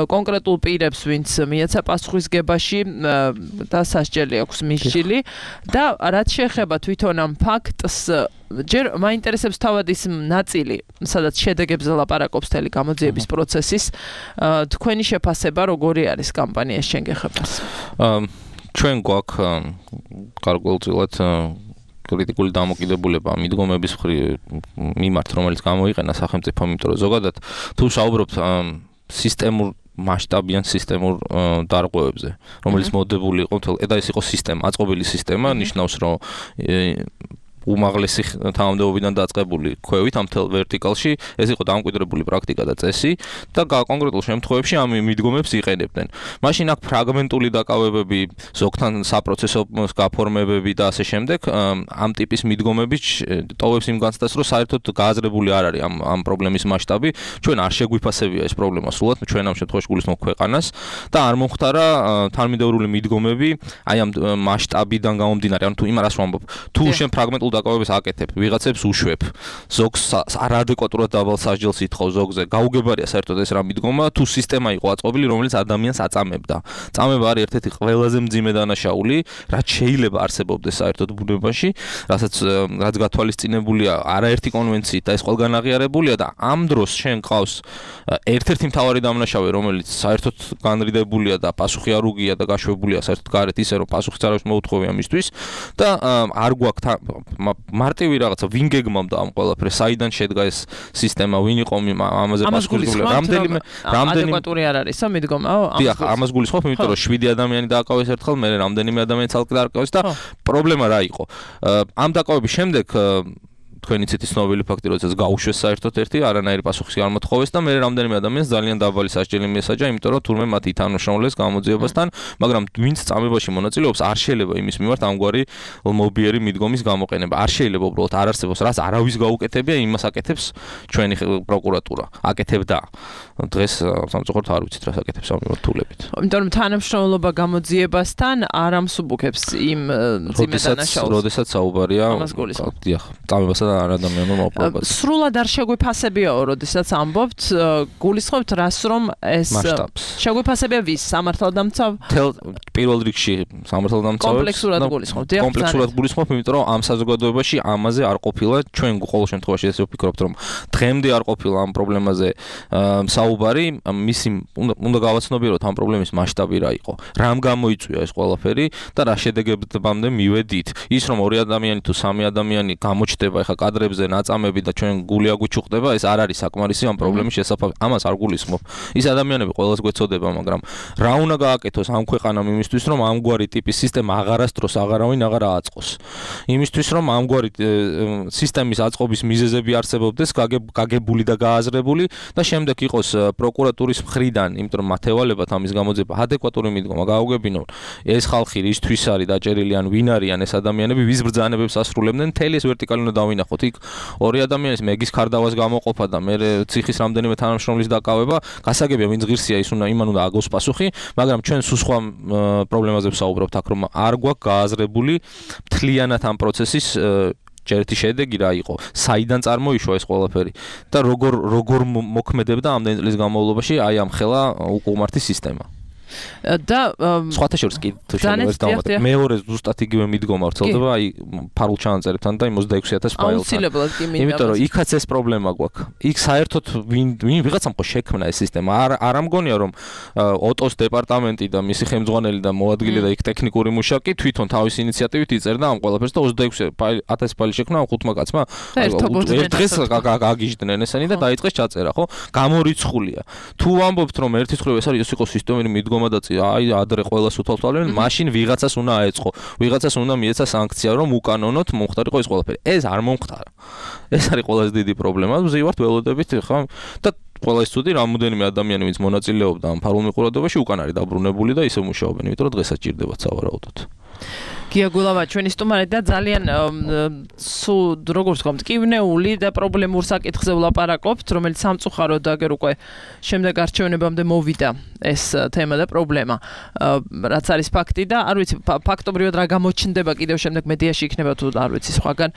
D: კონკრეტულ პირებს ვინც მიეცა პასუხისგებაში და სასჯელი აქვს მისჯილი და რაც შეეხება თვითონ ამ ფაქტს ჯერ მაინტერესებს თავად ის ნაწილი სადაც შედეგებზე ლაპარაკობს თელი გამოძიების პროცესის თქვენი შეფასება როგორი არის კამპანიის შენგეხებას
F: ჩვენ გვაქვს გარკვეულწილად კრიტიკული დამოკიდებულება მიდგომების მიმართ რომელიც გამოიყენა სახელმწიფომ იმიტომ რომ ზოგადად თუ საუბრობთ სისტემურ მასშტაბიან სისტემურ დარღვევებზე რომელიც მოდებული იყო და ეს იყო სისტემა აწყობილი სისტემა ნიშნავს რომ უმაღლესი თანამდებობიდან დაწყებული ქვევით ამ თელ ვერტიკალში ეს იყო დამკვიდრებული პრაქტიკა და წესი და კონკრეტულ შემთხვევებში ამ მიდგომებს იყენებდნენ. მაშინ აქ ფრაგმენტული დაკავებები, ზოგთან საპროცესო გაფორმებები და ასე შემდეგ ამ ტიპის მიდგომები ტოვებს იმ განცდას, რომ საერთოდ გააზრებული არ არის ამ პრობლემის მასშტაბი. ჩვენ არ შეგვიფასებია ეს პრობლემა სულად, ჩვენ ამ შემთხვევაში გულისხმობ ქვეყანას და არ მომხდარა თანმიმდევრული მიდგომები აი ამ მასშტაბიდან გამომდინარე. ანუ თუ იმას ვამბობ, თუ შენ ფრაგმენტულ დაკავებებს აკეთებ, ვიღაცებს უშვებ, ზოგს არადეკვატურად დაბალ სასჯელს ითხოვ ზოგზე, გაუგებარია საერთოდ ეს რა მიდგომა, თუ სისტემა იყო აწყობილი, რომელიც ადამიანს აწამებდა. წამება არის ერთ-ერთი ყველაზე მძიმე დანაშაული, რაც შეიძლება არსებობდეს საერთოდ ბუნებაში, რაც გათვალისწინებულია არაერთი კონვენციით და ეს ყველგან აღიარებულია და ამ დროს შენ ყავს ერთ-ერთი მთავარი დამნაშავე, რომელიც საერთოდ განრიდებულია და პასუხი არ უგია და გაშვებულია საერთოდ გარეთ ისე რომ პასუხიც არ აქვს მოუთხოვია მისთვის და არ გვაქვს მარტივი რაღაცა ვინ გეგმავდა ამ ყველაფერს, საიდან შედგა ეს სისტემა, ვინ იყო ამაზე პასუხისმგებელი, რამდენი
D: ადეკვატური არ არისო მიდგომაო?
F: დიახ, ამას გულისხმობ, იმიტომ რომ 7 ადამიანი დააკავეს ერთხელ, მე რამდენიმე ადამიანი ცალკე დააკავეს და პრობლემა რა იყო? ამ დაკავების შემდეგ თქვენი ცეთი ცნობილი ფაქტი, როდესაც გაუშვეს საერთოდ ერთი, არანაირი პასუხი არ მოთხოვეს და მე რამდენიმე ადამიანს ძალიან დაბალი სასჯელი მიესაჯა, იმიტომ რომ თურმე მათ ითანმშრომლეს გამოძიებასთან, მაგრამ ვინც წამებაში მონაწილეობს, არ შეიძლება იმის მიმართ ამგვარი მობიერი მიდგომის გამოყენება. არ შეიძლება უბრალოდ არ არსებობს, რაც არავის გაუკეთებია, იმას აკეთებს ჩვენი პროკურატურა. აკეთებდა. დღეს სამწუხაროდ არ ვიცით რას აკეთებს ამ მიმართულებით.
D: იმიტომ რომ თანამშრომლობა გამოძიებასთან არ ამსუბუქებს იმ ძიმე დანაშაულს.
F: როდესაც საუბარია, დიახ, წამებასთან არადამიანურ მოპოვებას.
D: სრულად არ შეგვიფასებიაო, როდესაც ამბობთ, გულისხმობთ რას რომ ეს შეგვიფასებია ვის სამართალდამცავ?
F: პირველ რიგში სამართალდამცავებს
D: კომპლექსურად გულისხმობთ.
F: კომპლექსურად გულისხმობ, იმიტომ რომ ამ საზოგადოებაში ამაზე არ ყოფილა, ჩვენ ყოველ შემთხვევაში ესე ვფიქრობთ, რომ დღემდე არ ყოფილა ამ პრობლემაზე საუბარი, მისი უნდა გავაცნობიეროთ ამ პრობლემის მასშტაბი რა იყო. რამ გამოიწვია ეს ყველაფერი და რა შედეგებამდე მივედით. ის რომ ორი ადამიანი თუ სამი ადამიანი გამოჩდება ეხა კადრებზე ნაწამები და ჩვენ გული აგვიჩუხდება, ეს არ არის საკმარისი ამ პრობლემის შესაფასებლად. ამას არ გულისხმობ. ის ადამიანები ყველას გვეცოდება, მაგრამ რა უნდა გააკეთოს ამ ქვეყანამ იმისთვის, რომ ამგვარი ტიპის სისტემა აღარასდროს აღარავინ აღარ აწყოს. იმისთვის, რომ ამგვარი სისტემის აწყობის მიზეზები არსებობდეს, გაგებული და გააზრებული და შემდეგ იყოს პროკურატურის მხრიდან, იმიტომ რომ მათევალებად ამის გამოძება ადეკვატური მიდგომა გაუგებინონ. ეს ხალხი რისთვის არის დაჭერილი ან ვინ არიან ეს ადამიანები, ვის ბრძანებებს ასრულებდნენ, მთელი ეს ვერტიკალი უნდა დავინახოთ. იქ ორი ადამიანის მეგის ქარდავას გამოყოფა და მე ციხის რამდენიმე თანამშრომლის დაკავება, გასაგებია ვინც ღირსია ის იმან უნდა აგოს პასუხი, მაგრამ ჩვენ სულ სხვა პრობლემაზე ვსაუბრობთ აქ, რომ არ გვაქვს გააზრებული მთლიანად ამ პროცესის ჯერეთი შედეგი რა იყო, საიდან წარმოიშვა ეს ყველაფერი და როგორ მოქმედებდა ამდენი წლის განმავლობაში აი ამ ხელა უკუღმართი სისტემა. და სხვათა შორის კი თუ შეიძლება დავამატებ. მეორე ზუსტად იგივე მიდგომა ვრცელდება, აი ფარულ ჩანაწერებთან და 26,000 ფაილთან.
D: აუცილებლად კი მინდა.
F: იმიტომ რომ იქაც ეს პრობლემა გვაქვს. იქ საერთოდ ვინ ვიღაცამ ხო შექმნა ეს სისტემა. არ ამგონია რომ ოტოს დეპარტამენტი და მისი ხელმძღვანელი და მოადგილე და იქ ტექნიკური მუშაკი თვითონ თავის ინიციატივით იწერდა ამ ყველაფერს და 26,000 ფაილი შექმნა ამ ხუთმა კაცმა. ერთ დღეს გაგიჟდნენ ესენი და დაიწყეს ჩაწერა, ხო? გამორიცხულია. თუ ვამბობთ რომ ერთის მხრივ ეს არის ის იყო სისტემური მიდგომა და აი ადრე ყველას უთვალთვალებენ, მაშინ ვიღაცას უნდა აეწყო. ვიღაცას უნდა მიეცა სანქცია, რომ უკანონოდ მომხდარიყო ეს ყველაფერი. ეს არ მომხდარა. ეს არის ყველაზე დიდი პრობლემა. ვზივართ ველოდებით ხა და ყველა ის ცუდი რამოდენიმე ადამიანი ვინც მონაწილეობდა ამ ფარულ მიყურადობაში უკან არის დაბრუნებული და ისე მუშაობენ, იმიტომ რომ დღესაც ჭირდებათ სავარაუდოდ.
D: გიაგულავა ჩვენი სტუმარი და ძალიან როგორც ვთქვათ, მტკივნეული და პრობლემურ საკითხზე ვლაპარაკობთ, რომელიც სამწუხაროდ აგერ უკვე შემდეგ არჩევნებამდე მოვიდა ეს თემა და პრობლემა, რაც არის ფაქტი და არ ვიცი ფაქტობრივად რა გამოჩნდება კიდევ შემდეგ მედიაში იქნება თუ არ ვიცი სხვაგან.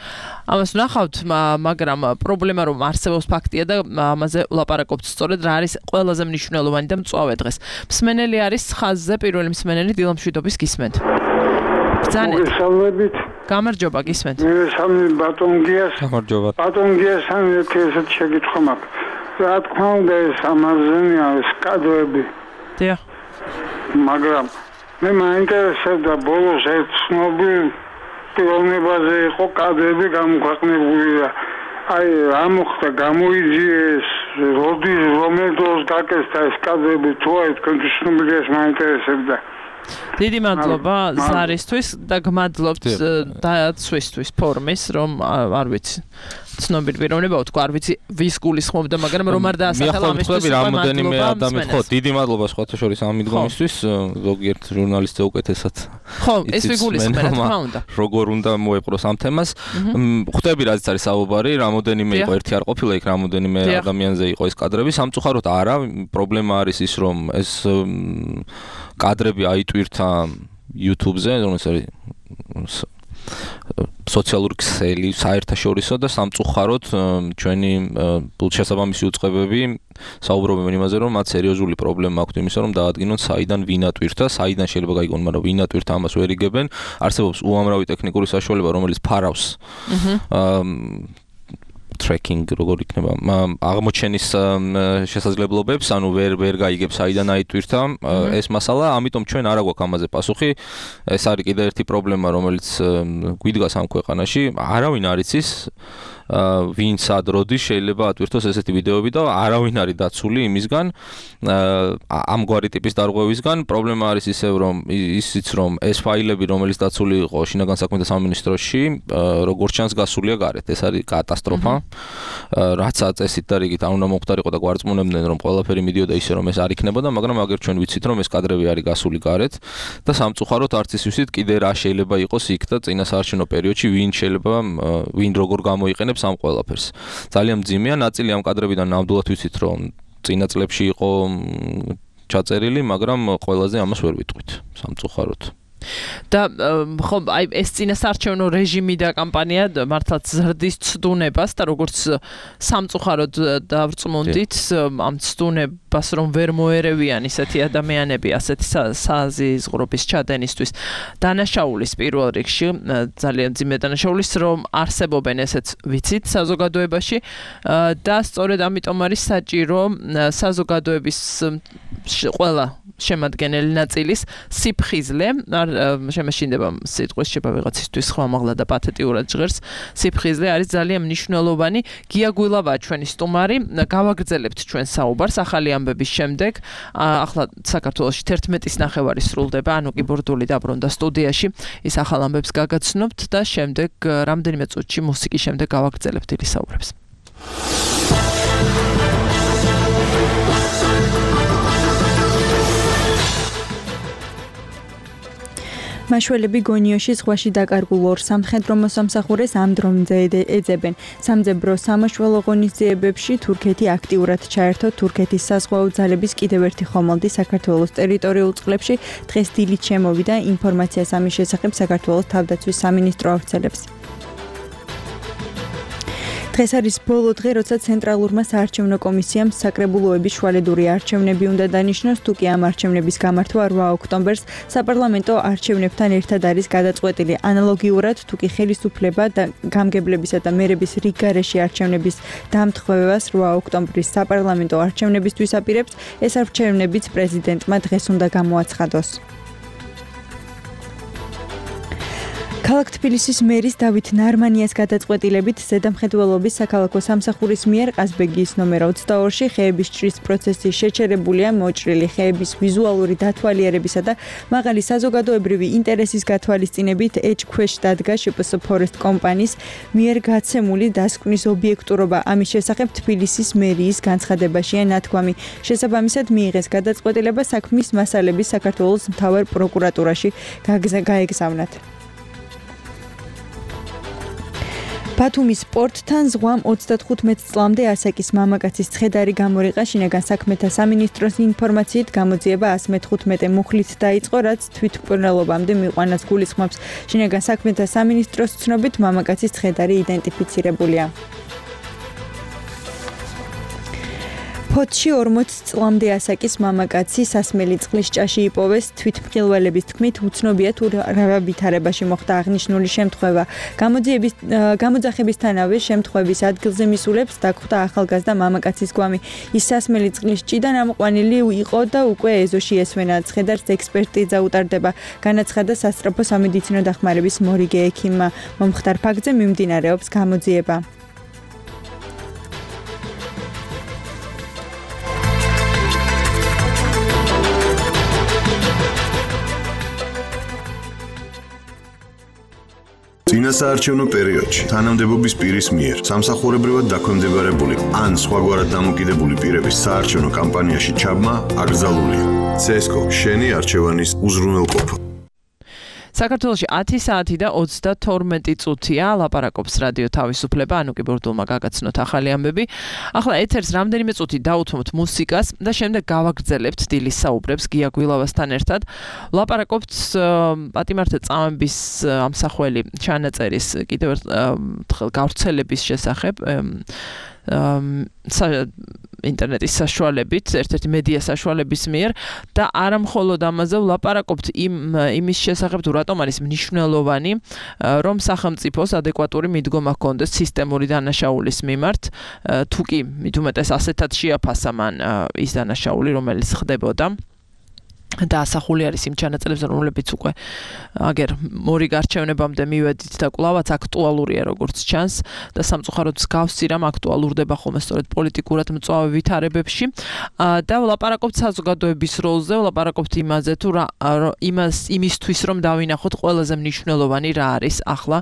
D: ამას ვნახავთ, მაგრამ პრობლემა რომ არსებობს ფაქტია და ამაზე ვლაპარაკობთ სწორედ რა არის ყველაზე მნიშვნელოვანი და მწვავე დღეს. მსმენელი არის ხაზზე, პირველი მსმენელი დილამშვიდობის გისმენთ.
G: მოგესალმებით.
D: გამარჯობა, გისმენთ.
G: მე სამი ბატონგიას.
F: გამარჯობა.
G: ბატონგიას ესეთ შეკითხვა მაქვს. რა თქმა უნდა ეს ამაზენია ეს კადრები.
D: დიახ.
G: მაგრამ მე მაინტერესებდა ბოლოს ერთ ცნობილ პიროვნებაზე იყო კადრები გამოქვეყნებული და აი რა მოხდა გამოიძიეს როდის რომელ დროს გაკეთდა ეს კადრები თუ აი თქვენთვის ცნობილი ეს მაინტერესებდა.
D: დიდი მადლობა ზარისთვის და გმადლობთ დაცვისთვის ფორმის, რომ არ ვიცი ცნობილი პიროვნება თქვა, არ ვიცი ვის გულისხმობდა, მაგრამ რომ არ დაასახელა ამისთვის
F: რამოდენიმე ადამიანი, ხო, დიდი მადლობა სხვათა შორის ამ მიდგომისთვის, ზოგიერთ ჟურნალისტზე უკეთესად.
D: ხო, ეს ვიგულისხმე, რა თქმა უნდა.
F: როგორ უნდა მოეპყროს ამ თემას. ხვდები რაც არის საუბარი, რამოდენიმე იყო, ერთი არ ყოფილა იქ, რამოდენიმე ადამიანზე იყო ეს კადრები, სამწუხაროდ არა, პრობლემა არის ის, რომ ეს კადრები აიტვირთა YouTube-ზე, რომელიც არის სოციალური ქსელი საერთაშორისო და სამწუხაროდ ჩვენი შესაბამისი უწყებები საუბრობენ იმაზე, რომ მათ სერიოზული პრობლემა აქვთ იმისა, რომ დაადგინონ საიდან ვინ ატვირთა, საიდან შეიძლება გაიგონ, მაგრამ ვინ ატვირთა ამას ვერ იგებენ. არსებობს უამრავი ტექნიკური საშუალება, რომელიც ფარავს tracking როგორ იქნება აღმოჩენის შესაძლებლობებს, ანუ ვერ გაიგებს საიდან აიტვირთა ეს მასალა, ამიტომ ჩვენ არ აგვაქვს ამაზე პასუხი. ეს არის კიდევ ერთი პრობლემა, რომელიც გვიდგას ამ ქვეყანაში. არავინ არ იცის ვინ სად როდის შეიძლება ატვირთოს ესეთი ვიდეოები და არავინ არის დაცული იმისგან, ამგვარი ტიპის დარღვევისგან. პრობლემა არის ისევ, რომ ისიც რომ ეს ფაილები, რომელიც დაცული იყო შინაგან საქმეთა სამინისტროში, როგორც ჩანს გასულია გარეთ. ეს არის კატასტროფა. რაც აწესით და რიგით არ უნდა მომხდარიყო და გვარწმუნებდნენ, რომ ყველაფერი მიდიოდა ისე, რომ ეს არ იქნებოდა, მაგრამ აგერ ჩვენ ვიცით, რომ ეს კადრები არის გასული გარეთ და სამწუხაროდ არც ის ვიცით კიდე რა შეიძლება იყოს იქ და წინასაარჩევნო პერიოდში ვინ როგორ გამოიყენებს ამ ყველაფერს. ძალიან მძიმეა, ნაწილი ამ კადრებიდან ნამდვილად ვიცით, რომ წინა წლებში იყო ჩაწერილი, მაგრამ ყველაზე ამას ვერ ვიტყვით, სამწუხაროდ.
D: და ხო აი ეს წინასაარჩევნო რეჟიმი და კამპანია მართლაც ზრდის ცდუნებას და როგორც სამწუხაროდ დავწმუნდით ამ ცდუნებას რომ ვერ მოერევიან ისეთი ადამიანები ასეთი საზიზღრობის ჩადენისთვის დანაშაულის პირველ რიგში ძალიან ძიმე დანაშაულის რომ არსებობენ ესეც ვიცით საზოგადოებაში და სწორედ ამიტომ არის საჭირო საზოგადოების ყველა შემადგენელი ნაწილის სიფხიზლე არ შემეშინდება სიტყვის შეება ვიღაცისთვის ხმამაღლა და პათეტიურად ჟღერს სიფხიზლე არის ძალიან მნიშვნელოვანი გია გვილავაა ჩვენი სტუმარი გავაგრძელებთ ჩვენ საუბარს ახალი ამბების შემდეგ ახლა საქართველოში 11:30 სრულდება ანუკი ბურდული დაბრუნდა სტუდიაში ის ახალ ამბებს გაგაცნობთ და შემდეგ რამდენიმე წუთში მუსიკის შემდეგ გავაგრძელებთ დილის საუბრებს
B: მაშველები გონიოში ზღვაში დაკარგულ ორ სამხედრო მოსამსახურეს ამ დრონზე ეძებენ. სამძებრო სამაშველო ღონისძიებებში თურქეთი აქტიურად ჩაერთო თურქეთის საზღვაო ძალების კიდევ ერთი ხომალდი საქართველოს ტერიტორიულ წყლებში დღეს დილით შემოვიდა ინფორმაციას ამის შესახებ საქართველოს თავდაცვის სამინისტრო ავრცელებს. დღეს არის ბოლო დღე, როცა ცენტრალურმა საარჩევნო კომისიამ საკრებულოების შუალედური არჩევნები უნდა დანიშნოს, თუ კი ამ არჩევნების გამართვა 8 ოქტომბერს საპარლამენტო არჩევნებთან ერთად არის გადაწყვეტილი. ანალოგიურად, თუ კი ხელისუფლება და გამგებლებისა და მერების რიგ გარეშე არჩევნების დამთხვევას 8 ოქტომბრის საპარლამენტო არჩევნებისთვის აპირებს, ეს არჩევნებიც პრეზიდენტმა დღეს უნდა გამოაცხადოს. ქალაქ თბილისის მერის დავით ნარმანიას გადაწყვეტილებით ზედამხედველობის საქალაქო სამსახურის მიერ ყაზბეგის ნომერ 22-ში ხეების ჭრის პროცესი შეჩერებულია მოჭრილი ხეების ვიზუალური დათვალიერებისა და მაღალი საზოგადოებრივი ინტერესის გათვალისწინებით ეჭქვეშ დადგა შპს ფორესტ კომპანიის მიერ გაცემული დასკვნის ობიექტურობა ამის შესახებ თბილისის მერიის განცხადებაშია ნათქვამი შესაბამისად მიიღეს გადაწყვეტილება საქმის მასალების საქართველოს მთავარ პროკურატურაში გაეგზავნათ. ბათუმის პორტთან ზღვამ 35 წლამდე ასაკის მამაკაცის ცხედარი გამორიყა შინაგან საქმეთა სამინისტროს ინფორმაციით გამოძიება 115 მუხლით დაიწყო რაც თვითმკვლელობამდე მიყვანას გულისხმობს შინაგან საქმეთა სამინისტროს ცნობით მამაკაცის ცხედარი იდენტიფიცირებულია ფოთში 40 წლამდე ასაკის მამაკაცი სასმელი წყლის ჭაში იპოვეს თვითმხილველების თქმით უცნობია თუ რა ვითარებაში მოხდა აღნიშნული შემთხვევა გამოძახებისთანავე შემთხვევის ადგილზე მისულებს დაგხვდა ახალგაზრდა მამაკაცის გვამი ის სასმელი წყლის ჭიდან ამოყვანილი იყო და უკვე ეზოში ესვენა ცხედარს ექსპერტიზა უტარდება განაცხადა სასწრაფო სამედიცინო დახმარების მორიგე ექიმმა მომხდარ ფაქტზე მიმდინარეობს გამოძიება
C: წინასაარჩევნო პერიოდში თანამდებობის პირის მიერ სამსახურებრივად დაქვემდებარებული ან სხვაგვარად დამოკიდებული პირების საარჩევნო კამპანიაში ჩაბმა აკრძალულია. CSGO შენი არჩევანის უზრუნველყოფა.
D: საქართველოში 10 საათი და 32 წუთია ლაპარაკობს რადიო თავისუფლება ანუკი ბურდულმა გაგაცნოთ ახალი ამბები. ახლა ეთერს რამდენიმე წუთი დაუთმოთ მუსიკას და შემდეგ გავაგრძელებთ დილის საუბრებს გია გვილავასთან ერთად. ლაპარაკობთ პატიმართა წამების ამსახველი ჩანაწერის კიდევ ერთხელ გავრცელების შესახებ ინტერნეტის საშუალებით, ერთ-ერთი მედია საშუალების მიერ და არა მხოლოდ ამაზე ვლაპარაკობთ იმის შესახებ თუ რატომ არის მნიშვნელოვანი რომ სახელმწიფოს ადეკვატური მიდგომა ჰქონდეს სისტემური დანაშაულის მიმართ თუ კი მით უმეტეს ასეთად შეაფასა მან ის დანაშაული რომელიც ხდებოდა და ასახული არის იმ ჩანაწერებზე რომლებიც უკვე აგერ მორიგ არჩევნებამდე მივედით და კვლავაც აქტუალურია როგორც ჩანს და სამწუხაროდ მსგავსი რამ აქტუალურდება ხოლმე სწორედ პოლიტიკურად მწვავე ვითარებებში და ვლაპარაკობთ საზოგადოების როლზე ვლაპარაკობთ იმაზე თუ იმისთვის რომ დავინახოთ ყველაზე მნიშვნელოვანი რა არის ახლა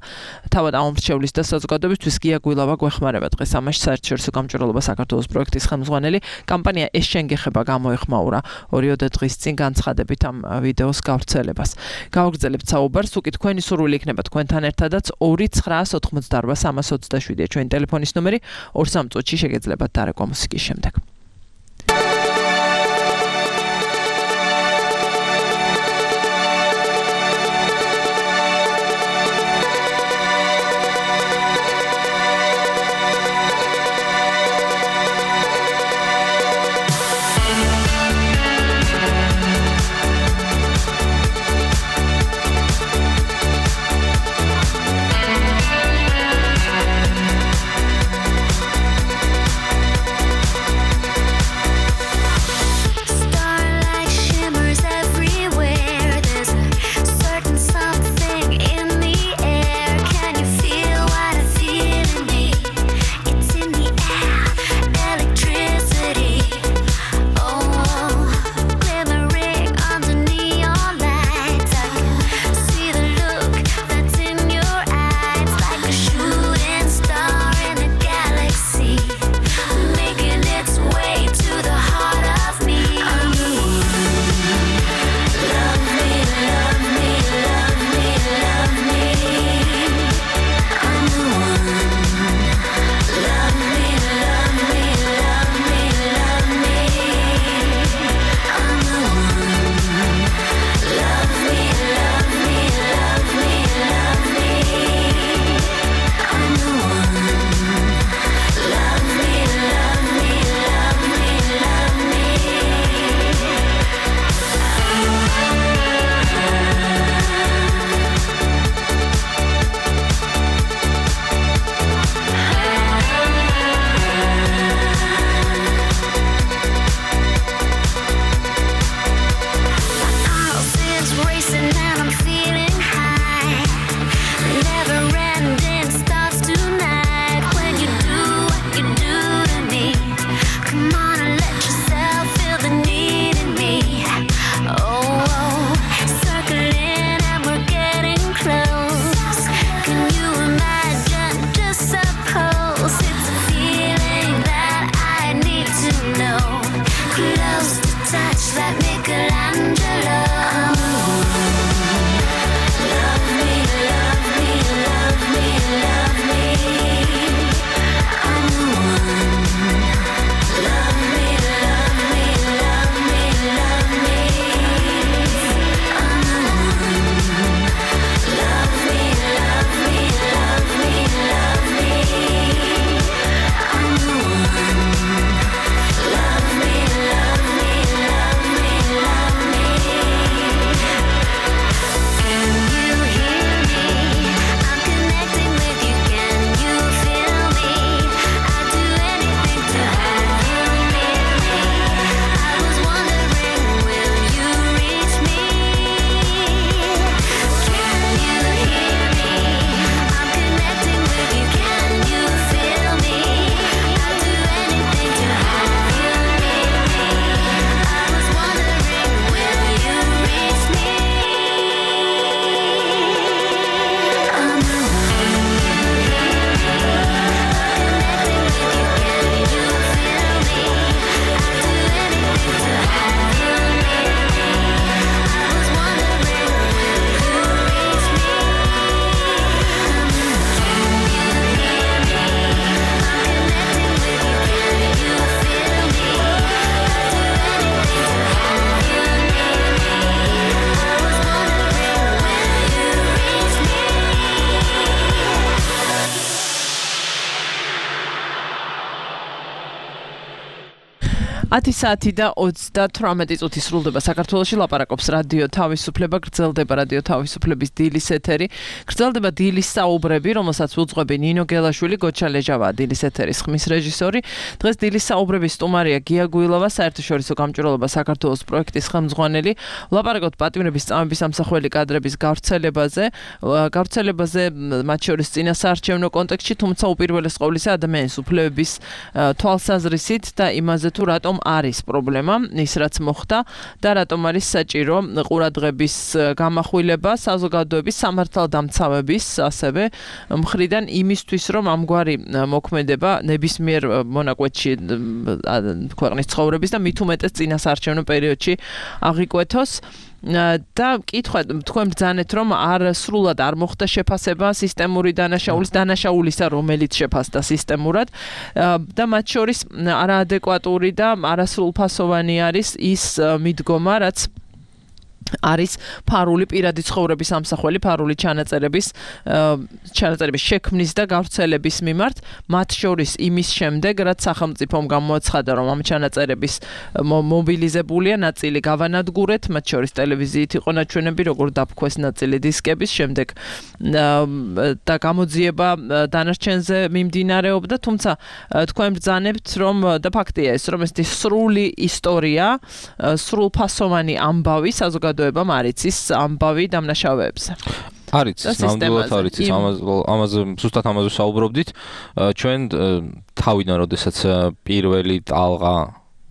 D: თავად ამომრჩევლის და საზოგადოებისთვის გია გვილავა გვეხმარება დღეს ამაში საერთაშორისო გამჭვირვალობა საქართველოს პროექტის ხელმძღვანელი კამპანია ეს შენგეხება გამოეხმაურა 2 დღის წინ განცხადებით ამ ვიდეოს გავრცელებას. გავაგრძელებთ საუბარს, უკი თქვენი სურვილი იქნება თქვენთან ერთადაც 2988327 ჩვენი ტელეფონის ნომერი 2-3 წუთში შეგეძლებათ დარეკვა მუსიკის შემდეგ. 10 საათი და 38 წუთი სრულდება საქართველოში ლაპარაკობს რადიო თავისუფლება, გრძელდება რადიო თავისუფლების დილის ეთერი, გრძელდება დილის საუბრები, რომელსაც უძღვები ნინო გელაშვილი, გოჩა ლეჟავა, დილის ეთერის ხმის რეჟისორი. დღეს დილის საუბრების სტუმარია გია გუილოვა, საერთაშორისო გამჭვირვალობა საქართველოს პროექტის ხელმძღვანელი. ლაპარაკობთ პატიმრების წამების ამსახველი კადრების გავრცელებაზე, მათ შორის წინასაარჩევნო კონტექსტში, თუმცა უპირველეს ყოვლისა ადამიანის უფლებების თვალსაზრისით და იმაზე თუ რატომ არის პრობლემა, ის რაც მოხდა და რატომ არის საჭირო ყურადღების გამახვილება საზოგადოების სამართალდამცავების ასევე მხრიდან იმისთვის, რომ ამგვარი მოქმედება ნებისმიერ მონაკვეთში ქვეყნის ცხოვრების და მით უმეტეს წინასაარჩევნო პერიოდში აღიკვეთოს. და კითხვა თქვენ ბრძანეთ რომ სრულად არ მოხდა შეფასება სისტემური დანაშაულისა რომელიც შეფასდა სისტემურად და მათ შორის არაადეკვატური და არასრულფასოვანი არის ის მიდგომა რაც არის ფარული პირადი ცხოვრების ამსახველი ფარული ჩანაწერების შექმნის და გავრცელების მიმართ მათ შორის იმის შემდეგ რაც სახელმწიფომ გამოაცხადა რომ ამ ჩანაწერების მობილიზებულია ნაწილი გავანადგურეთ მათ შორის ტელევიზიით იყო ნაჩვენები როგორ დაფქვეს ნაწილი დისკების შემდეგ და გამოძიება დანარჩენზე მიმდინარეობდა თუმცა თქვენ ბრძანებთ რომ და ფაქტია ეს რომ ეს სრული ისტორია სრულფასოვანი ამბავი საზოგადოებამ არიცის ამბავი დამნაშავეებზე.
F: არიცის, ნამდვილად არიცის. ამაზე ზუსტად ამაზე საუბრობდით. ჩვენ თავიდან, როდესაც პირველი ტალღა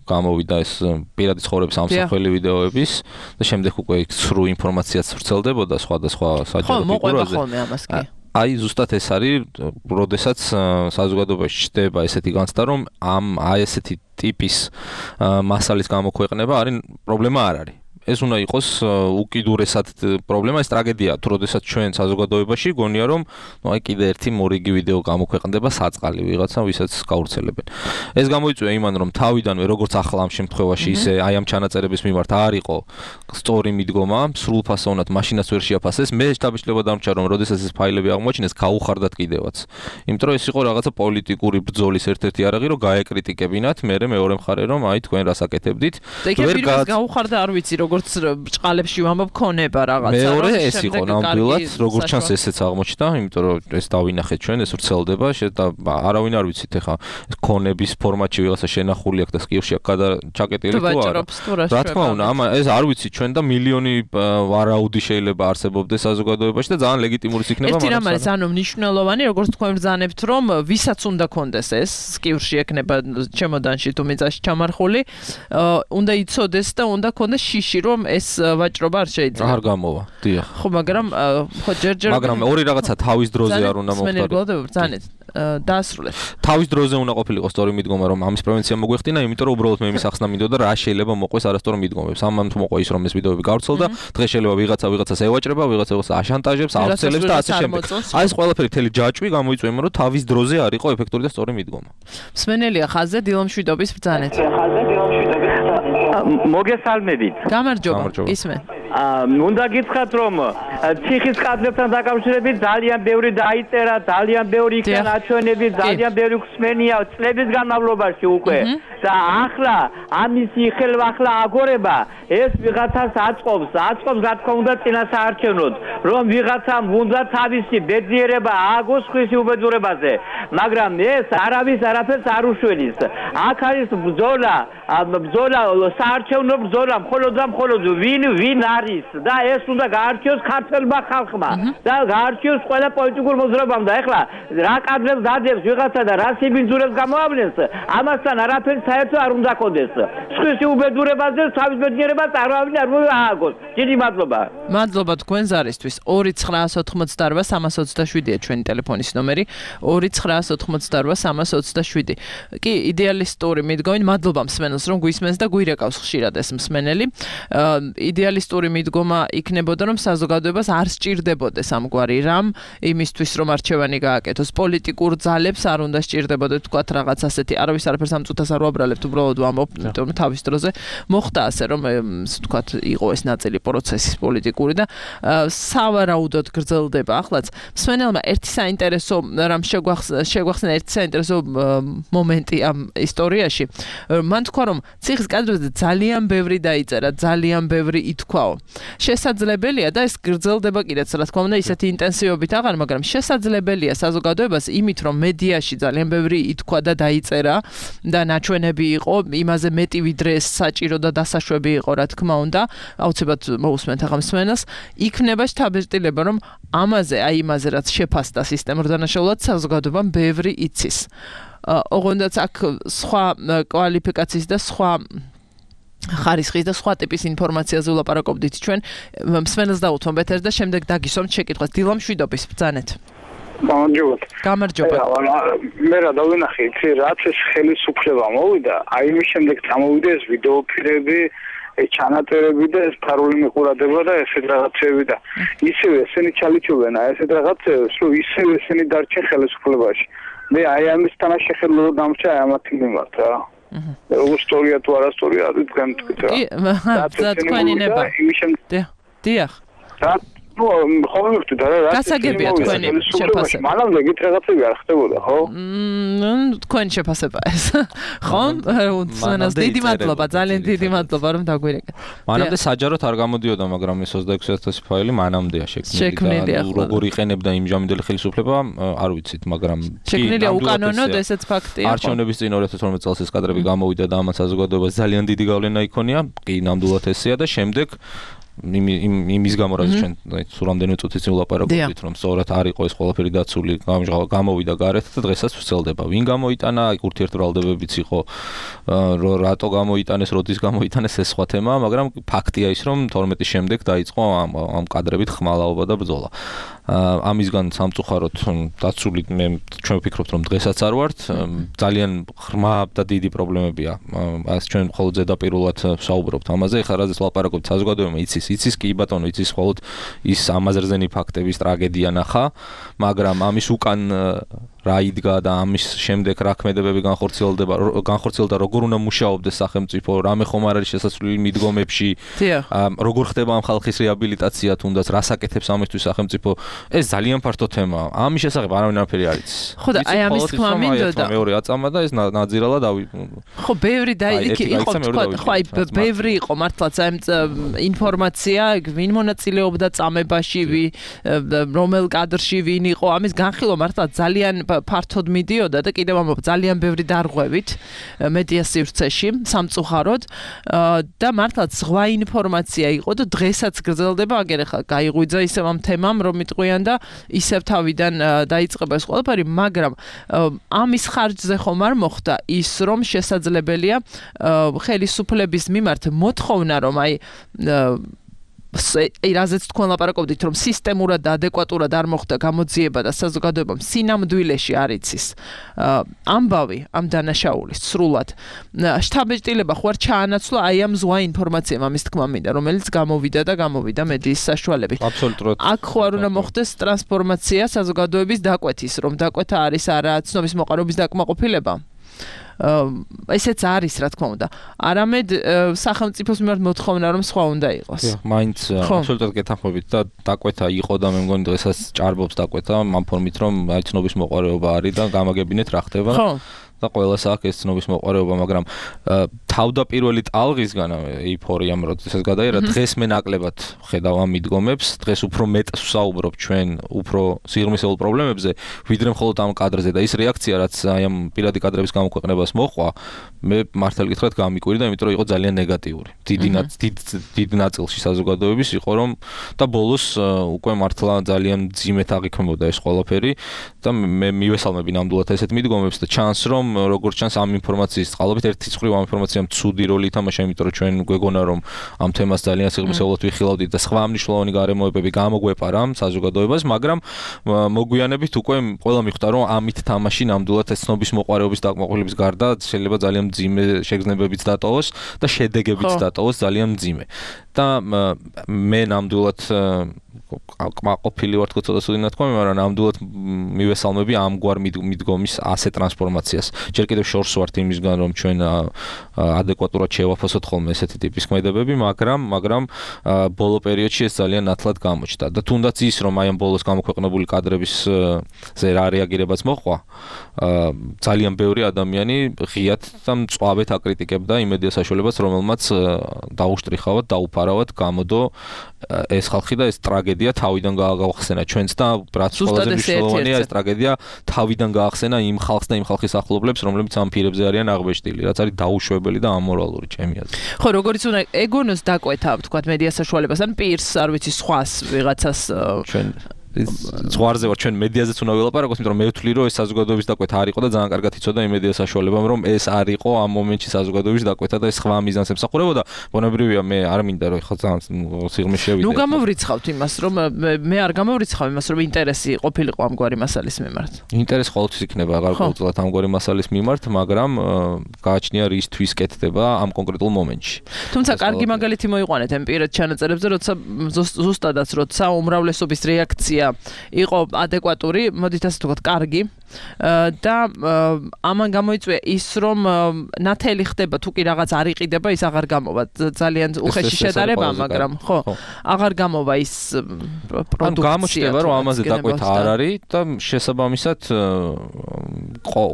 F: გამოვიდა ეს პირადი ცხოვრების ამსახველი ვიდეოების და შემდეგ უკვე სრულ ინფორმაციაც ვრცელდებოდა სხვადასხვა საჯარო ფიგურაზე. აი ზუსტად ეს არის, როდესაც საზოგადოებაში ჩნდება ესეთი განცდა, რომ აი ესეთი ტიპის მასალის გამოქვეყნება არის პრობლემა არ არის. ეს უნდა იყოს უკიდურესად პრობლემა, ეს ტრაგედია, თუ როდესაც ჩვენ საზოგადოებაში გონია რომ აი კიდე ერთი მორიგი ვიდეო გამოქვეყნდება საწყალი ვიღაცა, ვისაც გავრცელებენ. ეს გამოიწვია იმან რომ თავიდანვე როგორც ახლა ამ შემთხვევაში ისე აი ამ ჩანაწერების მიმართ არ იყო სწორი მიდგომა, სრულფასოვნად მაშინაც ვერ შეაფასეს. მე შთაბეჭდილება დამრჩა რომ როდესაც ეს ფაილები აღმოაჩინეს, გაუხარდათ კიდევაც. იმიტომ რომ ეს იყო რაღაცა პოლიტიკური ბრძოლის ერთ-ერთი არაღი, რომ გაეკრიტიკებინათ, მერე მეორე მხარე რომ აი თქვენ რას აკეთებდით.
D: ვერ გაუხარდა არ ვიცი როგორ ბრჭყალებში ვამბობ ქონება რაღაცა
F: მეორე ეს იყო ნამდვილად როგორც ჩანს ესეც აღმოჩნდა იმიტომ რომ ეს დავინახეთ ჩვენ ეს ვრცელდება და არავინ არ ვიცით ეხა ქონების ფორმატში ვიღაცა შენახული აქვს და სკივში ჩაკეტილი თუ არა რა თქმა უნდა ეს არ ვიცით ჩვენ და მილიონი ვარაუდი შეიძლება არსებობდეს საზოგადოებაში და ძალიან ლეგიტიმურიც იქნება
D: მაგრამ ერთი რამ არის ანუ მნიშვნელოვანი როგორც თქვენ ბრძანებთ რომ ვისაც უნდა კონდეს ეს სკივში ექნება ჩემოდანში თუ მიწაში ჩამარხული უნდა იცოდეს და უნდა კონდეს შიში რომ ეს ვაჭრობა არ შეიძლება.
F: არ გამოვა. დიახ.
D: ხო, მაგრამ ხო ჯერჯერ
F: მაგრამ ორი რაღაცა თავის დროზე არ უნდა
D: მოხდეს. ბრძანეთ. დაასრულეთ.
F: თავის დროზე უნდა ყოფილიყო სწორი მიდგომა რომ ამის პრევენცია მოგვეხდინა, იმიტომ რომ უბრალოდ მე იმის ახსნა მინდოდა რა შეიძლება მოყვეს არასწორი მიდგომებს. ამან თუ მოყვა ის რომ ეს ვიდეოები გავრცელდა, დღეს შეიძლება ვიღაცას ევაჭრება, ვიღაცას აშანტაჟებს, ავრცელებს და ასე შემდეგ. აი ეს ყველაფერი თელი ჯაჭვი გამოიწვია იმ რომ თავის დროზე არ იყო ეფექტური და სწორი მიდგომა.
D: მსმენელია ხაზზე დილომშვიდობის ბრძანეთ.
H: მოგესალმებით.
D: გამარჯობა. ისმენ.
H: უნდა გითხრათ რომ ციხის კადრებთან დაკავშირებით ძალიან ბევრი დაიწერა, ძალიან ბევრი იქნა ნაჩვენები, ძალიან ბევრი ხსმენია წლების განმავლობაში უკვე. და ახლა ამისი ხელვახლა აგორება ეს ვიღაცას აწყობს რა თქმა უნდა წინასაარჩევნოდ, რომ ვიღაცამ უნდა თავისი ბედნიერება ააგოს ხვისი უბედურებაზე, მაგრამ ეს არაფერს არ უშველის. აქ არის ბრძოლა საარჩევნო ბრძოლა მხოლოდ ვინ არის და ეს უნდა გაარჩიოს ქართველმა ხალხმა და გაარჩიოს ყველა პოლიტიკურ მოძრაობამ და ეხლა რა კადრებს დადებს ვიღაცა და რა სიბინძურებს გამოავლენს ამასთან არაფერი საერთო არ უნდა კონდეს. სხვისი უბედურებაზე თავის ბედნიერებას არავინ არ მოააგოს. დიდი მადლობა.
D: მადლობა თქვენ ზარისთვის. 2988327-ია ჩვენი ტელეფონის ნომერი 2988327. კი იდეალისტური მიდგომით მადლობა მსმენელს რომ გვისმენს და გვირეკავს ხშირად ეს მსმენელი. იდეალისტური პოლიტიკური მიდგომა იქნებოდა, რომ საზოგადოებას არ სჭირდებოდეს ამგვარი რამ იმისთვის, რომ არჩევანი გააკეთოს. პოლიტიკურ ძალებს არ უნდა სჭირდებოდეს თქვათ რაღაც ასეთი, არავის არაფერს ამ წუთას არ ვაბრალებთ, უბრალოდ ვამბობ, იმიტომ რომ თავის დროზე მოხდა ასე, რომ თქვათ იყო ეს ნაწილი პროცესის პოლიტიკური და სავარაუდოდ გრძელდება. ახლაც მსმენელმა ერთი საინტერესო რამ შეგვახსენა ერთი საინტერესო მომენტი ამ ისტორიაში. მან თქვა, რომ ციხის კადრებზე ძალიან ბევრი დაიწერა, ძალიან ბევრი ითქვაო. შესაძლებელია და ეს გრძელდება კიდეც, რა თქმა უნდა, ისეთი ინტენსივობით აღარ, მაგრამ შესაძლებელია საზოგადოებას იმით, რომ მედიაში ძალიან ბევრი ითქვა და დაიწერა და ნაჩვენები იყო, იმაზე მეტი ვიდრე ეს საჭირო და დასაშვები იყო, რა თქმა უნდა, აუცილებლად მოусმენთ ახლა მსმენელს, იქნება შთაბეჭდილება, რომ იმაზე რაც შეფასდა სისტემურ დანაშაულად საზოგადოებამ ბევრი იცის. ოღონდაც აქ სხვა კვალიფიკაციის და სხვა ხარისხის და სხვა ტიპის ინფორმაციაზე ვლაპარაკობდით ჩვენ. მსმენელს დაუთმობ ეთერს და შემდეგ დაგისვამთ შეკითხვას. დილა მშვიდობის, ბრძანეთ. გამარჯობა.
G: მე რა დავინახე, იცი, რაც ეს ხელისუფლება მოვიდა, აი იმის შემდეგ წამოვიდა ეს ვიდეოფილები, ჩანაწერები და ეს ფარული მიყურადება და ესეთ რაღაცები და ისევე ესენი ჩალიჩობენ ესეთ რაღაცებს, რომ ისევე ესენი დარჩენ ხელისუფლებაში. მე აი ამის თანაშეხელო დამჭა ამათი მიმართ რა. როგორ ისტორია თუ არა ისტორია, თქვენ თქვით რა.
D: და თქვენი ნება. დიახ.
G: ნუ ხომ მივხვდით რა.
D: გასაგებია თქვენი შეფასება.
G: მანამდე გით რაღაცები არ ხდებოდა, ხო?
D: თქვენი შეფასება ეს. ხომ? უცნაურს დიდი მადლობა, ძალიან დიდი მადლობა რომ დაგვირეკეთ.
F: მანამდე საჯაროდ არ გამოდიოდა, მაგრამ ეს 26000 ფაილი მანამდეა შექმნილი და როგორ იყენებდა იმჟამინდელი ხელისუფლება, არ ვიცით, მაგრამ
D: შექმნილია უკანონოდ, ესეც ფაქტია.
F: არჩევნების წინ 2012 წელს ეს კადრები გამოვიდა და ამას საზოგადოებას ძალიან დიდი გავლენა იქონია, კი ნამდვილად ესეა და შემდეგ იმის გამო რაც ჩვენ სულ რამდენიმე წუთის წინ ვლაპარაკობდით, რომ სწორად არ იყო ეს ყველაფერი დაცული, გამოვიდა გარეთ და დღესაც ვრცელდება. ვინ გამოიტანა, ურთიერთბრალდებებიც იყო, რატო გამოიტანეს, როდის გამოიტანეს, ეს სხვა თემა, მაგრამ ფაქტია ის, რომ 12-ის შემდეგ დაიწყო ამ კადრებით ხმალაობა და ბრძოლა. ამისგან სამწუხაროდ დაცული ჩვენ ვფიქრობთ, რომ დღესაც არ ვართ, ძალიან ღრმა და დიდი პრობლემებია. ეს ჩვენ მხოლოდ ზედაპირულად ვსაუბრობთ ამაზე, ეხლა რაზეც ვლაპარაკობთ, საზოგადოება იცის კი ბატონო, იცის მხოლოდ ის ამაზრზენი ფაქტების ტრაგედია ნახა, მაგრამ ამის უკან რა იდგა და ამის შემდეგ რა ქმედებები განხორციელდა, როგორ უნდა მუშაობდეს სახელმწიფო, რამე ხომ არ არის შესაძლებელი მიდგომებში, როგორ ხდება ამ ხალხის რეაბილიტაცია თუნდაც, რას აკეთებს ამისთვის სახელმწიფო, ეს ძალიან ფართო თემაა. ამის შესახებ არავინ არაფერი არ იცის.
D: ხო და აი ამის თქმა მინდოდა.
F: მეორე აწამა და ეს ნაძირალა
D: ხო, ბევრი იყო თქვა, ხო აი ბევრი იყო მართლაც აი ინფორმაცია, ვინ მონაწილეობდა წამებაში, რომელ კადრში ვინ იყო, ამის განხილვა მართლაც ძალიან ფართოდ მიდიოდა და კიდევ ამბობ ძალიან ბევრი დარღვევით მედია სივრცეში სამწუხაროდ და მართლაც ზღვა ინფორმაცია იყო და დღესაც გრძელდება, აგერ ახლა გაიღვიძა ისევ ამ თემამ, რომ მიტყვიან და ისევ თავიდან დაიწყება ეს ყველაფერი, მაგრამ ამის ხარჯზე ხომ არ მოხდა ის, რომ შესაძლებელია ხელისუფლების მიმართ მოთხოვნა, რომ აი რაზეც თქვენ ლაპარაკობდით, რომ სისტემურად და ადეკვატურად არ მოხდა გამოძიება და საზოგადოებამ სინამდვილეში არ იცის ამბავი ამ დანაშაულის სრულად. შთაბეჭდილება ხო არ ჩაანაცვლა აი ამ ზღვა ინფორმაციამ, ამის თქმა მინდა, რომელიც გამოვიდა მედიის საშუალებით.
F: აბსოლუტურად.
D: აქ ხო არ უნდა მოხდეს ტრანსფორმაცია საზოგადოების დაკვეთის, რომ დაკვეთა არის არა ცნობის მოყარობის დაკმაყოფილება. ესეც არის, რა თქმა უნდა. არამედ სახელმწიფოს მიმართ მოთხოვნა, რომ სხვა უნდა იყოს.
F: მაინც აბსოლუტურად გეთანხმებით და დაკვეთა იყო და მე მგონი დღესაც ჭარბობს დაკვეთა ამ ფორმით, რომ აი ცნობის მოყარეობა არის და გამაგებინეთ რა ხდება. და ყველას აქვს ეს ცნობის მოყარეობა, მაგრამ თავდაპირველი ტალღისგან ეიფორიამ როდესაც გადაერა, დღეს მე ნაკლებად ხედავ ამ მიდგომებს, დღეს უფრო მეტს ვსაუბრობ ჩვენ უფრო სიღრმისეულ პრობლემებზე, ვიდრე მხოლოდ ამ კადრზე და ის რეაქცია, რაც აი ამ პირადი კადრების გამოქვეყნებას მოყვა, მე მართალი გითხრათ გამიკვირდა, იმიტომ რომ იყო ძალიან ნეგატიური. დიდ ნაწილში საზოგადოების იყო, რომ და ბოლოს უკვე მართლა ძალიან ძიმეთ აღიქმებოდა ეს ყველაფერი და მე მივესალმები ნამდვილად ესეთ მიდგომებს და ჩანს, რომ როგორც ჩანს ამ ინფორმაციის წყალობით ერთი წყრივ ამ ინფორმაციამ ცუდი როლი ითამაშა, იმიტომ რომ ჩვენ გვეგონა რომ ამ თემას ძალიან სიღრმისეულად ვიხილავდით და სხვა მნიშვნელოვანი გარემოებები გამოგვეპარა საზოგადოებას, მაგრამ მოგვიანებით უკვე ყველა მიხვდა რომ ამით თამაში ნამდვილად ეს ცნობის მოყარეობის დაკმაყოფილების გარდა შეიძლება ძალიან მძიმე შეგრძნებებიც დატოვოს და შედეგებიც დატოვოს ძალიან მძიმე. და მე ნამდვილად ყოფილი ვარ თქო ცოტა სუდი ნათქვამი, მაგრამ ნამდვილად მივესალმები ამგვარ მიდგომის ასე ტრანსფორმაციას. ჯერ კიდევ შორს ვართ იმისგან, რომ ჩვენ ადეკვატურად შევაფასოთ ხოლმე ესეთი ტიპის ქმედებები, მაგრამ ბოლო პერიოდში ეს ძალიან ნათლად გამოჩნდა და თუნდაც ის, რომ აი ამ ბოლოს გამოქვეყნებული კადრების ზე რა რეაგირებაც მოყვა, ძალიან ბევრი ადამიანი ღიად და მწვავედ აკრიტიკებდა იმ მედია საშუალებას, რომელმაც დაუშტრიხავად, დაუფარავად გამოდო ეს ხალხი და ეს ტრაგედია თავიდან გაახსენა ჩვენც და რაც ყველაზე მნიშვნელოვანია ეს ტრაგედია თავიდან გაახსენა იმ ხალხს და იმ ხალხის ახლობლებს, რომლებიც ამ პირებზე არიან აღბეჭდილი, რაც არის დაუშვებელი და ამორალური ჩემი აზრით.
D: ხო, როგორც უნდა ეგონოს დაკვეთა, თქვა მედია საშუალებას ან პირს, არ ვიცი, სხვას ვიღაცას
F: ჩვენ ზღვარზე ვარ, ჩვენ მედიაზეც უნდა ველაპარაკოთ, იმიტომ რომ მე ვთვლი, რომ ეს საზოგადოების დაკვეთა არ იყო და ძალიან კარგად იცოდა იმ მედია საშუალებამ, რომ ეს არ იყო ამ მომენტში საზოგადოების დაკვეთა და ეს სხვა მიზანს ემსახურებოდა. ბუნებრივია, მე არ მინდა რომ ხო ძალიან სიღრმე შევიდე.
D: ნუ გამოვრიცხავთ იმას, რომ მე არ გამოვრიცხავ იმას, რომ ინტერესი ყოფილიყო ამგვარი მასალის მიმართ.
F: ინტერესი ყოველთვის იქნება აღარ ამგვარი მასალის მიმართ, მაგრამ გააჩნია რისთვის კეთდება ამ კონკრეტულ მომენტში.
D: თუმცა კარგი მაგალითი მოიყვანეთ ამ პირად ჩანაწერებზე, როცა ზუსტადაც როცა უმრავლესობის რეაქცია იყო ადეკვატური, მოდით ასე ვთქვათ, კარგი და ამან გამოიწვია ის, რომ ნათელი ხდება, თუ კი რაღაც არ იყიდება, ის აღარ გამოვა. ძალიან უხეში შედარება, მაგრამ ხო, აღარ გამოვა ის პროდუქცია.
F: გამოჩნდება, რომ ამაზე დაკვეთა არ არის და შესაბამისად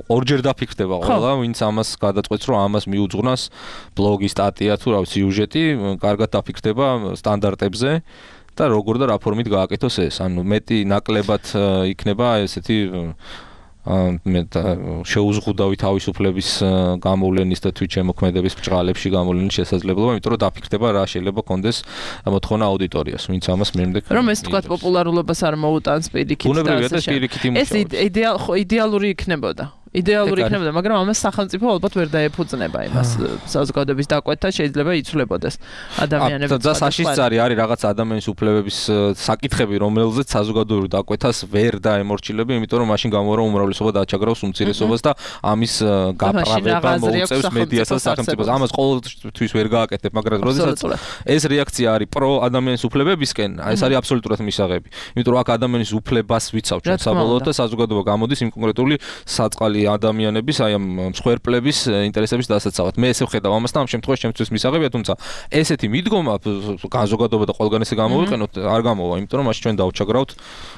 F: ორჯერ დაფიქრდება ყველა, ვინც ამას გადაწყვეტს, რომ ამას მიუძღვნას ბლოგი, სტატია თუ რა ვიცი, სიუჟეტი, კარგად დაფიქრდება სტანდარტებზე. და როგორ და რა ფორმით გააკეთოს ეს, ანუ მეტი ნაკლებად იქნება ესეთი მე შეუზღუდავი თავისუფლების გამოვლენის და თვითშემოქმედების ბჭყალებში გამოვლენის შესაძლებლობა, იმიტომ რომ დაფიქრდება რა შეიძლება კონდეს მოთხოვნა აუდიტორიას, ვინც ამას მემდე
D: რომ ეს თქვა პოპულარულობას არ მოუტანს პირიქით
F: და ეს
D: იდეალური იქნებოდა. იდეალური იქნებოდა, მაგრამ ამას სახელმწიფო ალბათ ვერ დაეფუძნება იმას. საზოგადოების დაკვეთა შეიძლება იცვლებოდეს ადამიანების.
F: და საშიშწარი არის რაღაც ადამიანის უფლებების საკითხები, რომელზეც საზოგადოებრივ დაკვეთას ვერ დაემორჩილები, იმიტომ რომ მაშინ გამოვა უმრავლესობა დააჩაგრავს უმცირესობას და ამის გაპრავება მოუწევს მედიას და სახელმწიფოს. ამას ყოველთვის ვერ გააკეთებ, მაგრამ როდესაც ეს რეაქცია არის პრო ადამიანის უფლებებისკენ, ეს არის აბსოლუტურად მისაღები. იმიტომ რომ აქ ადამიანის უფლებას ვიცავ ჩვენ საბოლოოდ და საზოგადოება გამოდის იმ კონკრეტული საწყალი ადამიანების აი ამ მსხვერპლების ინტერესების დასაცავად. მე ესე ვხედავ ამას და ამ შემთხვევაში ჩემთვის მისაღებია, თუმცა ესეთი მიდგომა საზოგადოება და ყველგან ესე გამოვიყენოთ არ გამოვა, იმიტომ რომ მაშინ ჩვენ დავჩაგრავთ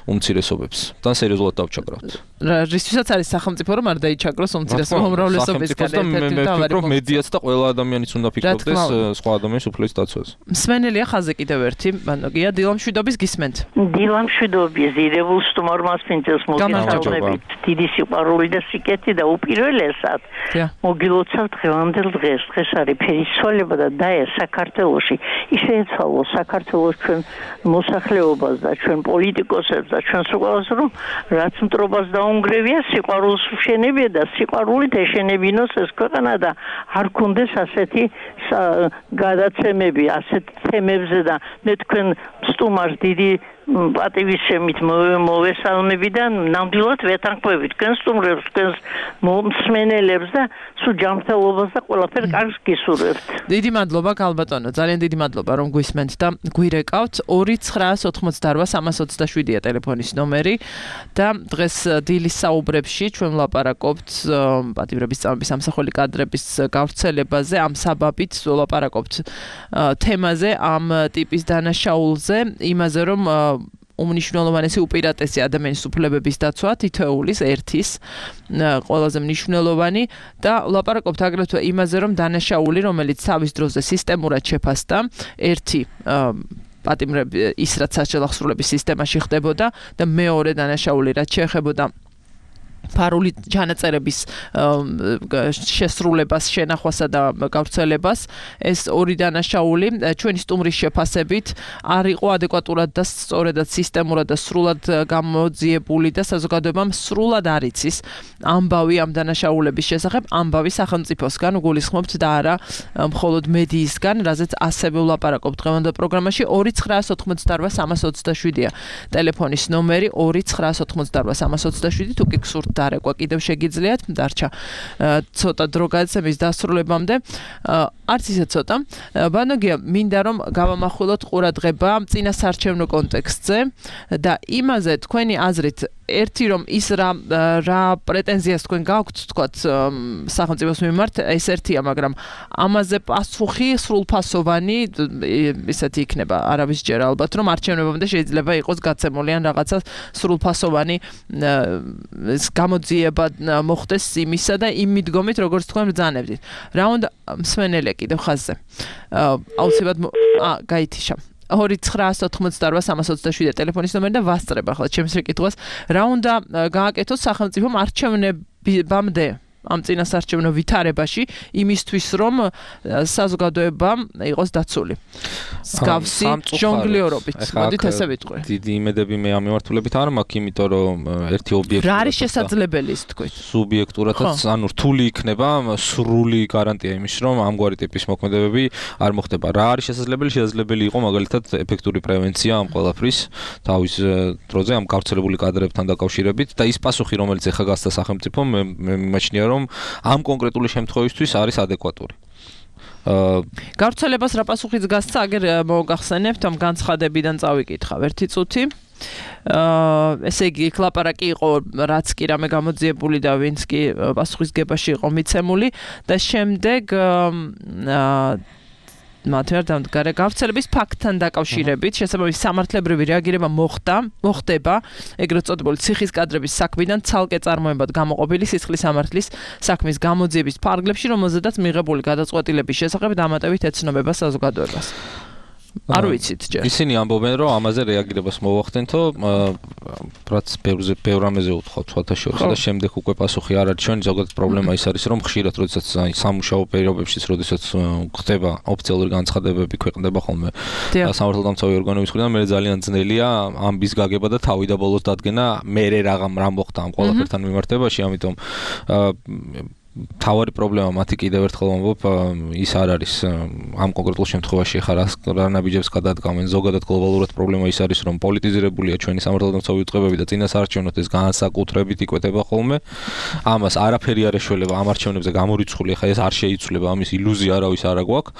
F: უმცირესობებს და სერიოზულად დავჩაგრავთ.
D: რისთვისაც არის სახელმწიფო რომ არ დაიჩაგროს უმცირესობა უმრავლესობისგან
F: ერთ-ერთი თავი მედიაც და ყველა ადამიანიც უნდა ფიქრობდეს სხვა ადამიანის უფლების დაცვაზე.
D: მსმენელია ხაზე კიდევ ერთი, მანოგია დილამშვიდობის გისმენთ.
I: დილამშვიდობის ირებულ სტუმარს პინწელს მოგესალმებით. დიდი სიყვარული და სიკეთე და უპირველესად მოგილოცავ დღევანდელ დღეს. დღეს არის ფერისცვალება და დაე საქართველოში. ის შეეცვალოს საქართველოს ჩვენ მოსახლეობას და ჩვენ პოლიტიკოსებს და ჩვენს ყველას, რომ რაც მტრობას დაუნგრევია, სიყვარულს ვშენებია და სიყვარულით ეშენებინოს ეს ქვეყანა და არ გქონდეს ასეთი გადაცემები ასეთ თემებზე და მე თქვენ სტუმარს დიდი პატივისცემით მოვესალმები და ნამდვილად ვეთანხმები თქვენ სტუმრებს, თქვენს მსმენელებს და სულ ჯანმრთელობას და ყველაფერ კარგს გისურვებთ.
D: დიდი მადლობა გალბატონო, ძალიან დიდი მადლობა რომ გვისმენთ და გვირეკავთ. 299207327-ია ტელეფონის ნომერი და დღეს დილის საუბრებში ჩვენ ვლაპარაკობთ პატიმრების წამების ამსახველი კადრების გავრცელებაზე, ამ საბაბით ვლაპარაკობთ თემაზე, ამ ტიპის დანაშაულზე, იმაზე რომ უმნიშვნელოვანესი უპირატესი ადამიანის უფლებების დაცვა თითოეულის ერთის ყველაზე მნიშვნელოვანი და ვლაპარაკობთ აგრეთვე იმაზე რომ დანაშაული რომელიც თავის დროზე სისტემურად შეფასდა ერთი პატიმრები ის რაც საჯელახსრულების სისტემაში ხდებოდა და მეორე დანაშაული რაც შეეხებოდა ფარული ჩანაწერების შესრულებას, შენახვასა და გავრცელებას, ეს ორი დანაშაული ჩვენი სტუმრის შეფასებით არ იყო ადეკვატურად და სწორედად სისტემურად და სრულად გამოძიებული და საზოგადოებამ სრულად არ იცის ამბავი ამ დანაშაულების შესახებ, ამბავი სახელმწიფოსგან გულისხმობთ და არა მხოლოდ მედიისგან, რაზეც ასევე ვლაპარაკობთ დღევანდელ პროგრამაში. 299207327-ია ტელეფონის ნომერი 299207327 თუ კი გსურთ დარეკვა კიდევ შეგიძლიათ, დარჩა ცოტა დრო გადაცემის დასრულებამდე. არც ისე ცოტა. ბანოგია, მინდა რომ გავამახვილოთ ყურადღება წინასარჩევნო კონტექსტზე და იმაზე თქვენი აზრით ერთი რომ ის რა პრეტენზიას თქვენ გაქვთ თქვათ სახელმწიფოს მიმართ ეს ერთია, მაგრამ ამაზე პასუხი სრულფასოვანი ისეთი იქნება, არავის ჯერა ალბათ რომ არჩევნებამდე შეიძლება იყოს გაცემული ან რაღაცა სრულფასოვანი გამოძიება მოხდეს იმისა და იმ მიდგომით როგორც თქვენ ბრძანებდით. რა უნდა მსმენელე კიდევ ხაზზე. აუცილებლად გაითიშა. 2-988-327 ტელეფონის ნომერი და ვასწრებ ახლა ჩემს რეკითხვას. რა უნდა გააკეთოს სახელმწიფომ არჩევნებამდე ამ წინასარჩევნო ვითარებაში იმისთვის რომ საზოგადოება იყოს დაცული. მსგავსი ჟონგლიორობით. მოდით ესე ვიტყვი.
F: დიდი იმედები მე ამ მიმართულებით არ მაქვს, იმიტომ რომ ერთი ობიექტი
D: რა არის შესაძლებელი ის თქვით?
F: სუბიექტურადაც ანუ რთული იქნება სრული გარანტია იმის რომ ამგვარი ტიპის მოქმედებები არ მოხდება. რა არის შესაძლებელი? შესაძლებელი იყო მაგალითად ეფექტური პრევენცია ამ ყველაფრის თავის დროზე ამ გავრცელებული კადრებთან დაკავშირებით და ის პასუხი რომელიც ეხა გასცა სახელმწიფომ მე მიმაჩნია რომ ამ კონკრეტული შემთხვევისთვის არის ადეკვატური.
D: გავრცელებას რა პასუხიც გასცა, აგერ მოგახსენებთ ამ განცხადებიდან წავიკითხავ ერთი წუთი. ესე იგი კლაპარაკი იყო რაც კი რამე გამოძიებული და ვინც კი პასუხისგებაში იყო მიცემული და შემდეგ მათერდამდგარე გავრცელების ფაქტთან დაკავშირებით შესაბამისი სამართლებრივი რეაგირება მოხდება ეგრეთ წოდებული ციხის კადრების საქმიდან ცალკე წარმოებად გამოყოფილი სისხლის სამართლის საქმის გამოძიების ფარგლებში, რომელზედაც მიღებული გადაწყვეტილების შესახებ დამატებით ეცნობება საზოგადოებას. არ ვიცით ჯერ.
F: ისინი ამბობენ რომ ამაზე რეაგირებას მოვახდენთო, რაც ბევრ რამეზე უთხოვთ სხვათა შორის და შემდეგ უკვე პასუხი არ არის. ჩვენი ზოგადად პრობლემა ის არის რომ ხშირად როდესაც სამუშაო პირობებშიც როდესაც ხდება ოფიციალური განცხადებები ქვეყნდება ხოლმე სამართალდამცავი ორგანოების მხრიდან, მე ძალიან ძნელია ამბის გაგება და თავი და ბოლოს დადგენა მე რა მოხდა ამ ყველაფერთან მიმართებაში, ამიტომ თავარი პრობლემა მათი კიდევ ერთხელ ვამბობ ის არ არის ამ კონკრეტულ შემთხვევაში ხარ რა ნაბიჯებს გადადგამენ ზოგადად გლობალურად პრობლემა ის არის რომ პოლიტიზირებულია ჩვენი სამართალდამცავი უწყებები და წინასაარჩევნოდ ეს განსაკუთრებით იკვეთება ხოლმე ამას არაფერი არ ეშველება ამ არჩევნებზე გამორიცხული ხა ეს არ შეიცვლება ამის ილუზია არავის არ აქვს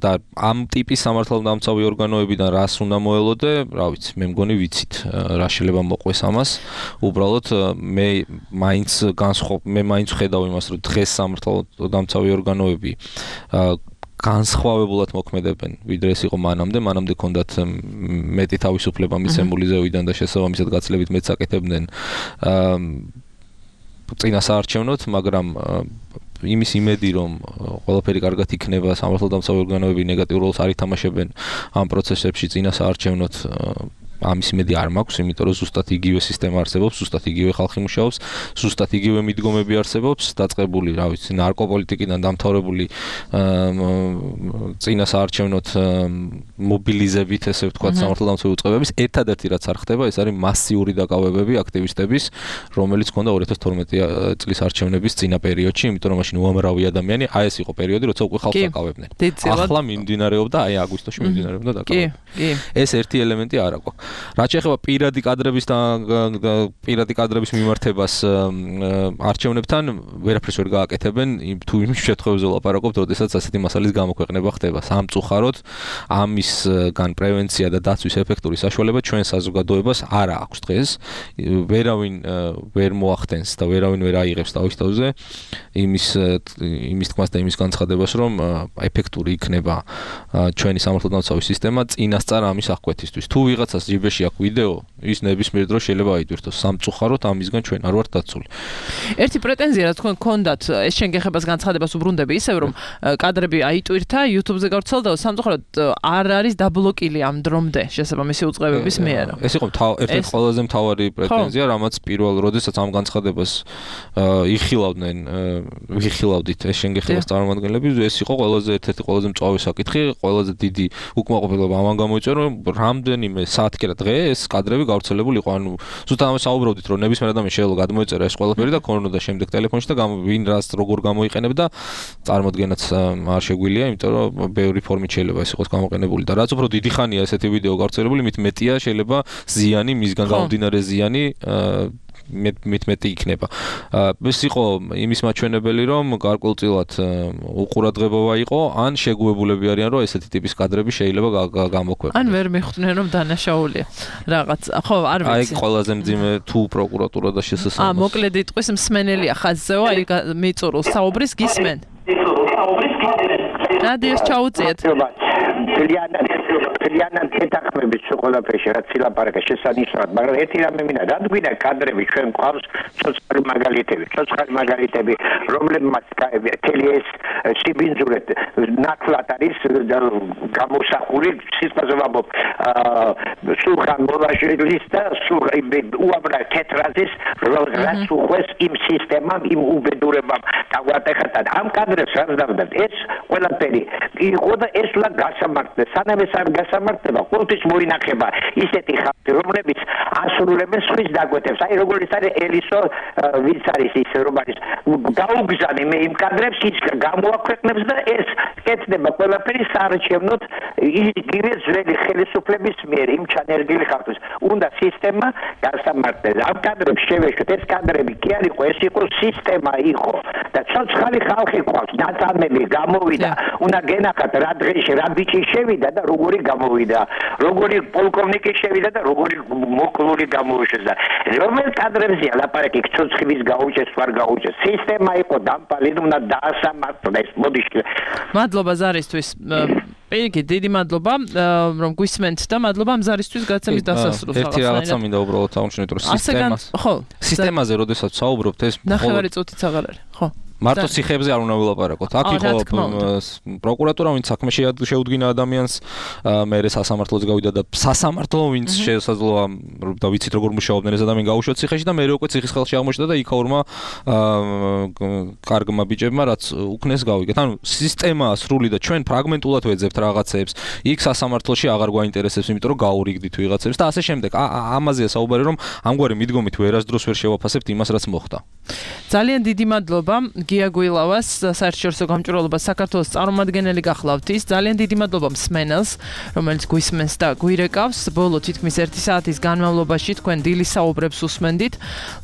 F: და ამ ტიპის სამართალდამცავი ორგანოებიდან რას უნდა მოელოდე რა ვიცი მე მგონი ვიცით რა შეიძლება მოყვეს ამას უბრალოდ მე მაინც ხედავ იმას რომ დღეს სამართალდამცავი ორგანოები განსხვავებულად მოქმედებენ ვიდრე ეს იყო მანამდე ჰქონდათ მეტი თავისუფლება მიცემული ზევიდან და შესაბამისად გაცილებით მეტს აკეთებდნენ წინასაარჩევნოდ მაგრამ იმის იმედი რომ ყველაფერი კარგად იქნება სამართალდამცავი ორგანოები ნეგატიურ როლს არ ითამაშებენ ამ პროცესებში წინასაარჩევნოდ ამის იმედი არ მაქვს, იმიტომ რომ ზუსტად იგივე სისტემა არსებობს, ზუსტად იგივე ხალხი მუშაობს, ზუსტად იგივე მიდგომები არსებობს, დაწყებული, რა ვიცი, ნარკოპოლიტიკიდან დამთავრებული წინასაარჩევნოდ მობილიზებით, ესე ვთქვათ, სამართალდამცავი უწყებების, ერთადერთი რაც არ ხდება, ეს არის მასიური დაკავებები აქტივისტების, რომელიც ჰქონდა 2012 წლის არჩევნების წინა პერიოდში, იმიტომ რომ მაშინ უამრავი ადამიანი, აი ეს იყო პერიოდი, როცა უკვე ხალხს დაკავებდნენ. ახლა მიმდინარეობდა, აი აგვისტოში მიმდინარეობდა დაკავება. ეს ერთი ელემენტი არ აქვს. რაც შეეხება პირადი კადრების მიმართებას არჩევნებთან ვერაფერს ვერ გააკეთებენ თუ იმის შემთხვევაზე ვლაპარაკობთ, როდესაც ასეთი მასალის გამოქვეყნება ხდება. სამწუხაროდ ამისგან პრევენცია და დაცვის ეფექტური საშუალება ჩვენ საზოგადოებას არ აქვს დღეს. ვერავინ ვერ მოახდენს და ვერავინ ვერ აიღებს თავის თავზე იმის თქმას და იმის განცხადებას, რომ ეფექტური იქნება ჩვენი სამართალდამცავი სისტემა წინასწარ ამის აღკვეთისთვის. თუ ვიღაცას ჯიბეში აქვს ვიდეო, ის ნებისმიერ დროს შეიძლება აიტვირთოს. სამწუხაროდ ამისგან ჩვენ არ ვართ დაცული.
D: ერთი პრეტენზია რა თქვენ გქონდათ, ეს შენ გეხებას განცხადებას უბრუნდები ისევ რომ კადრები აიტვირთა, YouTube-ზე გავრცელდა და სამწუხაროდ არ არის დაბლოკილი ამ დრომდე შესაბამისი უწყებების მიერ.
F: ეს იყო ერთ-ერთი ყველაზე მთავარი პრეტენზია, რამაც პირველ როდესაც ამ განცხადებას ვიხილავდით ეს შენ გეხებას წარმომადგენლები, ეს იყო ერთ-ერთი ყველაზე მწვავე საკითხი, ყველაზე დიდი უკმაყოფილება ამან გამოიწვია, რომ რამდენიმე საათი კი რა დღე ეს კადრები გავრცელებული იყო. ანუ ზუსტად ამას საუბრობდით, რომ ნებისმიერ ადამიანს შეიძლება გადმოეწერა ეს ყველაფერი და ქონოდა შემდეგ ტელეფონში და ვინ რას როგორ გამოიყენებდა, წარმოდგენაც არ შეგვიძლია, იმიტომ რომ ბევრი ფორმით შეიძლება ეს იყოს გამოყენებული და რაც უფრო დიდი ხანია ესეთი ვიდეო გავრცელებული, მით მეტია შეიძლება ზიანი, მისგან გამომდინარე ზიანი მეტი იქნება. ეს იყო იმის მაჩვენებელი, რომ გარკვეულწილად უყურადღებობა იყო, ან შეგუებულები არიან, რომ ესეთი ტიპის კადრები შეიძლება გამოქვეყნდეს.
D: ან ვერ მიხვდნენ, რომ დანაშაულია რაღაც. ხო, არ ვიცი.
F: აი ყველაზე მძიმე თუ პროკურატურა და შესაძლოა.
D: მოკლედ იტყვის მსმენელია ხაზზეო, აი მიწურულს საუბრის გისმენ. რადიოს ჩაუწიეთ.
J: ძალიან თეთახმების ყველაფერში რაც ილაპარაკა შესანიშნავად, მაგრამ ერთი რამე მინდა, რადგან კადრები ჩვენ გვყავს ცოცხალი მაგალითები, რომლებმაც მთელი ეს სიბინძურე ნათლად არის გამოსახული, სიტყვაზე ვამბობ, სულხან მოვაშელის და უამრავ თეთრაზის რაც უხვეს იმ სისტემამ, იმ უბედურებამ დაგვატეხა და ამ კადრებს რაც დავდათ, ეს ყველაფერი იყო და ეს ლა გასამართლეს, სანამ ეს არ გასამართლება, ყოველთვის მოინახება ისეთი ხალხი, რომლებიც ასრულებენ სხვის დაგვეთებს. აი როგორიც არის ელისო, ვინც არის ის რომ არის გაუგზავნე მე იმ კადრებს ის გამოაქვეყნებს და ეს კეთდება ყველაფერი საარჩევნოდ იგივე ძველი ხელისუფლების მიერ იმ ჩანერგილი ხალხის. უნდა სისტემა გასამართლდეს. ამ კადრებს შევეშვით, ეს კადრები კი არ იყო, ეს იყო სისტემა იყო და ცოცხალი ხალხი ყავს, დაწამები გამოვიდა. უნდა გენახათ რა დღეში რა ბიჭი შევიდა და როგორი გამოვიდა, როგორი პოლკოვნიკი შევიდა და როგორი მოკლული გამოუშვეს და რომელ კადრებზეა ლაპარაკი ცოცხლის გაუჩეს, ვარ გაუჩეს. სისტემა იყო დამპალი, უნდა დაასამართლეს. მოდი.
D: მადლობა ზარისთვის. პირიქით, დიდი მადლობა, რომ გვისმენთ და მადლობა ამ ზარისთვის გაცემის დასასრულს.
F: ერთი რაღაცა მინდა უბრალოდ აღნიშნოთ, რომ სისტემაზე, როდესაც საუბრობთ, ეს
D: ნახევარი წუთიც აღარ არის. ხო.
F: მარტო ციხეებზე არ უნდა ვილაპარაკოთ. აქ იყო პროკურატურა, ვინც საქმეში შეუდგინა ადამიანს, მერე სასამართლოც გავიდა და სასამართლო ვინც შესაძლოა და ვიცით როგორ მუშაობდნენ ეს ადამიანი გაუშვათ ციხეში და მერე უკვე ციხის ხელში აღმოჩნდა და იქაურმა კარგმა ბიჭებმა რაც უკნეს გავიგეთ. ანუ სისტემაა სრული და ჩვენ ფრაგმენტულად ვეძებთ რაღაცეებს. იქ სასამართლოში აღარ გვაინტერესებს, იმიტომ რომ გაურიგდით ვიღაცებს და ასე შემდეგ. ამაზეა საუბარი, რომ ამგვარი მიდგომით ვერასდროს ვერ შევაფასებთ იმას, რაც მოხდა.
D: ძალიან დიდი მადლობა გია გუილავას, საერთაშორისო გამჭვირვალობას საქართველოს წარმომადგენელი გახლავთ ის. ძალიან დიდი მადლობა მსმენელს, რომელიც გვისმენს და გვირეკავს. ბოლო თითქმის 1 საათის განმავლობაში თქვენ დილის საუბრებს უსმენდით.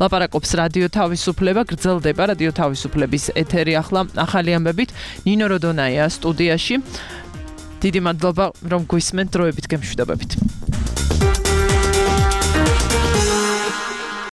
D: ლაპარაკობს რადიო თავისუფლება, გრძელდება რადიო თავისუფლების ეთერი ახლა ახალი ამბებით. ნინო როდონაია სტუდიაში. დიდი მადლობა რომ გვისმენთ, დროებით გემშვიდობებით.